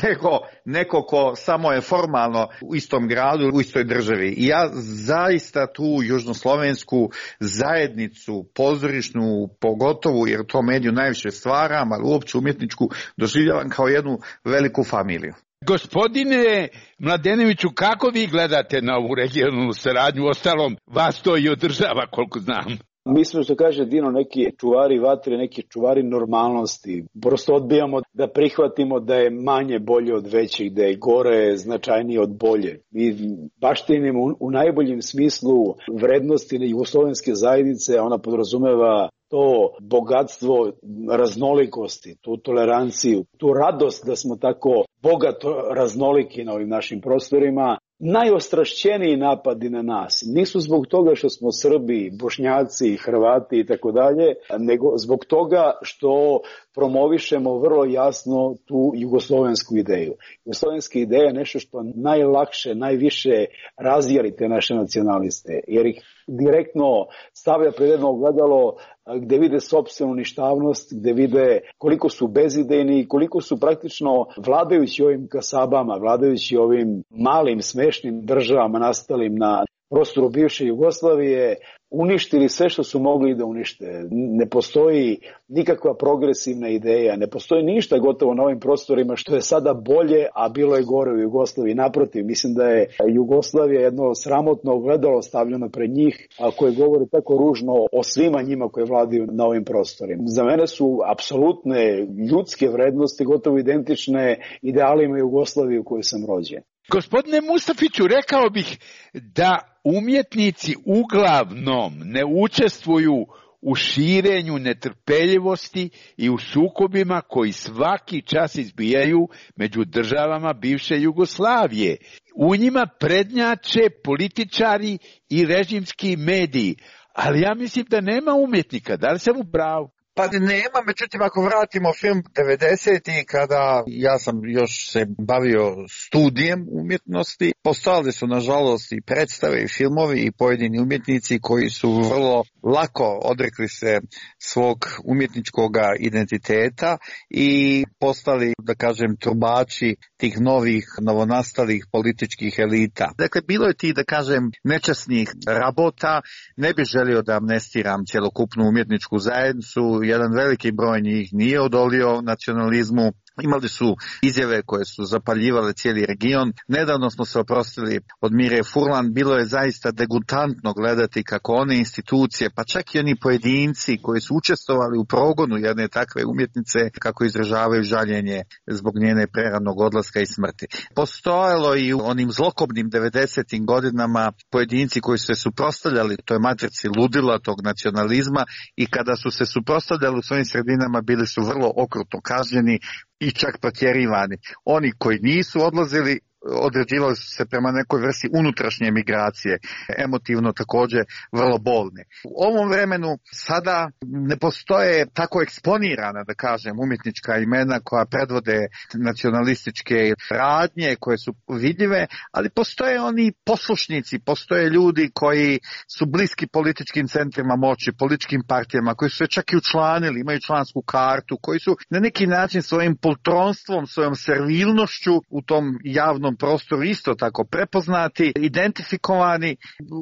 nego neko ko samo je formalno u istom gradu, u istoj državi. I ja zaista tu južnoslovensku zajednicu, pozorišnu pogotovo, jer to mediju najviše stvaram, ali uopće umjetničku doživljavam kao jednu veliku familiju. Gospodine Mladenoviću, kako vi gledate na ovu regionalnu saradnju? Ostalom, vas to i održava, koliko znam. Mi smo, što kaže Dino, neki čuvari vatre, neki čuvari normalnosti. Prosto odbijamo da prihvatimo da je manje bolje od većih, da je gore značajnije od bolje. Mi baštinimo u najboljem smislu vrednosti jugoslovenske zajednice, ona podrazumeva to bogatstvo raznolikosti, tu toleranciju, tu radost da smo tako bogato raznoliki na ovim našim prostorima. Najostrašćeniji napadi na nas nisu zbog toga što smo Srbi, Bošnjaci, Hrvati i tako dalje, nego zbog toga što promovišemo vrlo jasno tu jugoslovensku ideju. Jugoslovenska ideja je nešto što najlakše, najviše razjeri te naše nacionaliste, jer ih direktno stavlja pred jedno ogledalo gde vide sopstvenu ništavnost, gde vide koliko su bezidejni i koliko su praktično vladajući ovim kasabama, vladajući ovim malim smešnim državama nastalim na prostoru bivše Jugoslavije, uništili sve što su mogli da unište. Ne postoji nikakva progresivna ideja, ne postoji ništa gotovo na ovim prostorima što je sada bolje, a bilo je gore u Jugoslaviji. Naprotiv, mislim da je Jugoslavija jedno sramotno ogledalo stavljeno pred njih, a koje govori tako ružno o svima njima koji vladaju na ovim prostorima. Za mene su apsolutne ljudske vrednosti gotovo identične idealima Jugoslavije u kojoj sam rođen. Gospodine Mustafiću, rekao bih da umjetnici uglavnom ne učestvuju u širenju netrpeljivosti i u sukobima koji svaki čas izbijaju među državama bivše Jugoslavije. U njima prednjače političari i režimski mediji, ali ja mislim da nema umjetnika. Da li sam u pravu? Pa nema, međutim ako vratimo film 90. kada ja sam još se bavio studijem umjetnosti, postojali su nažalost i predstave i filmovi i pojedini umjetnici koji su vrlo lako odrekli se svog umjetničkog identiteta i postali, da kažem, trubači tih novih, novonastalih političkih elita. Dakle, bilo je ti, da kažem, nečasnih rabota. Ne bih želio da amnestiram cjelokupnu umjetničku zajednicu. Jedan veliki broj njih nije odolio nacionalizmu. Imali su izjave koje su zapaljivale cijeli region. Nedavno smo se oprostili od Mire Furlan. Bilo je zaista degutantno gledati kako one institucije, pa čak i oni pojedinci koji su učestvovali u progonu jedne takve umjetnice, kako izražavaju žaljenje zbog njene preranog odlaska i smrti. Postojalo i u onim zlokobnim 90. godinama pojedinci koji su se suprotstavljali toj matrici ludila, tog nacionalizma, i kada su se suprotstavljali u svojim sredinama bili su vrlo okrutno kažnjeni i čak protjerivani. Oni koji nisu odlazili određivali su se prema nekoj vrsti unutrašnje migracije, emotivno također vrlo bolne. U ovom vremenu sada ne postoje tako eksponirana, da kažem, umjetnička imena koja predvode nacionalističke radnje koje su vidljive, ali postoje oni poslušnici, postoje ljudi koji su bliski političkim centrima moći, političkim partijama, koji su se čak i učlanili, imaju člansku kartu, koji su na neki način svojim poltronstvom, svojom servilnošću u tom javnom prostoru isto tako prepoznati, identifikovani,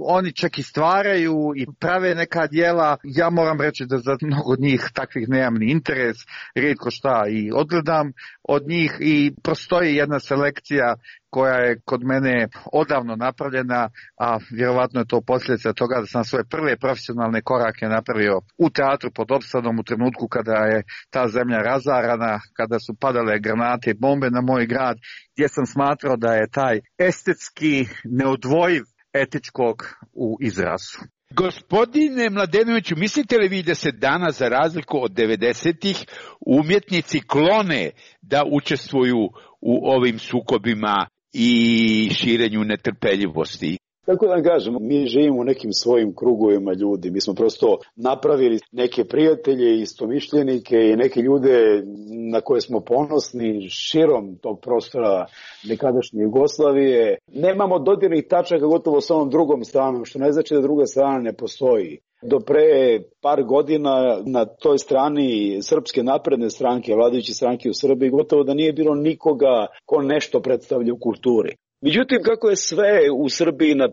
oni čak i stvaraju i prave neka djela. Ja moram reći da za mnogo od njih takvih nemam ni interes, rijetko šta i odgledam od njih i postoji jedna selekcija koja je kod mene odavno napravljena, a vjerovatno je to posljedica toga da sam svoje prve profesionalne korake napravio u teatru pod Opsadom u trenutku kada je ta zemlja razarana, kada su padale granate i bombe na moj grad, gdje sam smatrao da je taj estetski neodvojiv etičkog u izrazu. Gospodine Mladenoviću, mislite li vi da se danas, za razliku od 90-ih, umjetnici klone da učestvuju u ovim sukobima i širenju netrpeljivosti? Kako da kažem, mi živimo u nekim svojim krugovima ljudi. Mi smo prosto napravili neke prijatelje, istomišljenike i neke ljude na koje smo ponosni širom tog prostora nekadašnje Jugoslavije. Nemamo dodirnih tačaka gotovo s onom drugom stranom, što ne znači da druga strana ne postoji. Do pre par godina na toj strani Srpske napredne stranke, vladajuće stranke u Srbiji, gotovo da nije bilo nikoga ko nešto predstavlja u kulturi. Međutim, kako je sve u Srbiji na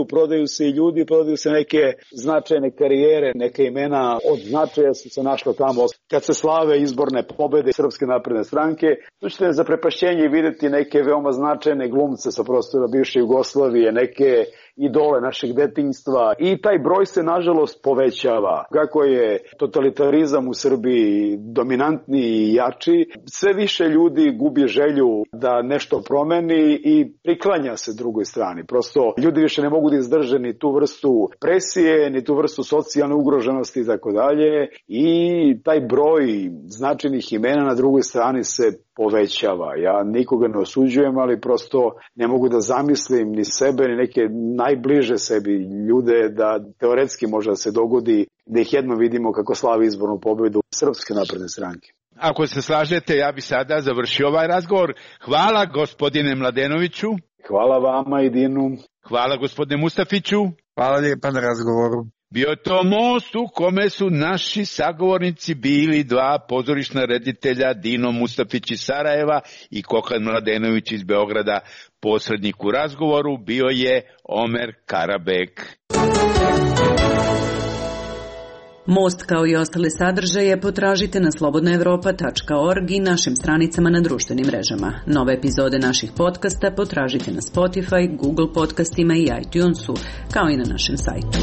prodaju se i ljudi, prodaju se neke značajne karijere, neke imena od značaja su se našlo tamo. Kad se slave izborne pobede Srpske napredne stranke, tu ćete za prepašćenje vidjeti neke veoma značajne glumce sa prostora bivše Jugoslavije, neke idole našeg detinjstva i taj broj se nažalost povećava. Kako je totalitarizam u Srbiji dominantni i jači, sve više ljudi gubi želju da nešto promeni i priklanja se drugoj strani. Prosto ljudi više ne mogu da izdrže ni tu vrstu presije, ni tu vrstu socijalne ugroženosti i tako dalje, i taj broj značajnih imena na drugoj strani se povećava. Ja nikoga ne osuđujem, ali prosto ne mogu da zamislim ni sebe, ni neke najbliže sebi ljude da teoretski može da se dogodi da ih jedno vidimo kako slavi izbornu pobedu Srpske napredne stranke. Ako se slažete, ja bi sada završio ovaj razgovor. Hvala gospodine Mladenoviću. Hvala vama i Dinu. Hvala gospodine Mustafiću. Hvala lijepa na razgovoru. Bio je to most u kome su naši sagovornici bili dva pozorišna reditelja, Dino Mustafić iz Sarajeva i Kokan Mladenović iz Beograda. Posrednik u razgovoru bio je Omer Karabek. Most kao i ostale sadržaje potražite na slobodnaevropa.org i našim stranicama na društvenim mrežama. Nove epizode naših podcasta potražite na Spotify, Google podcastima i iTunesu, kao i na našem sajtu.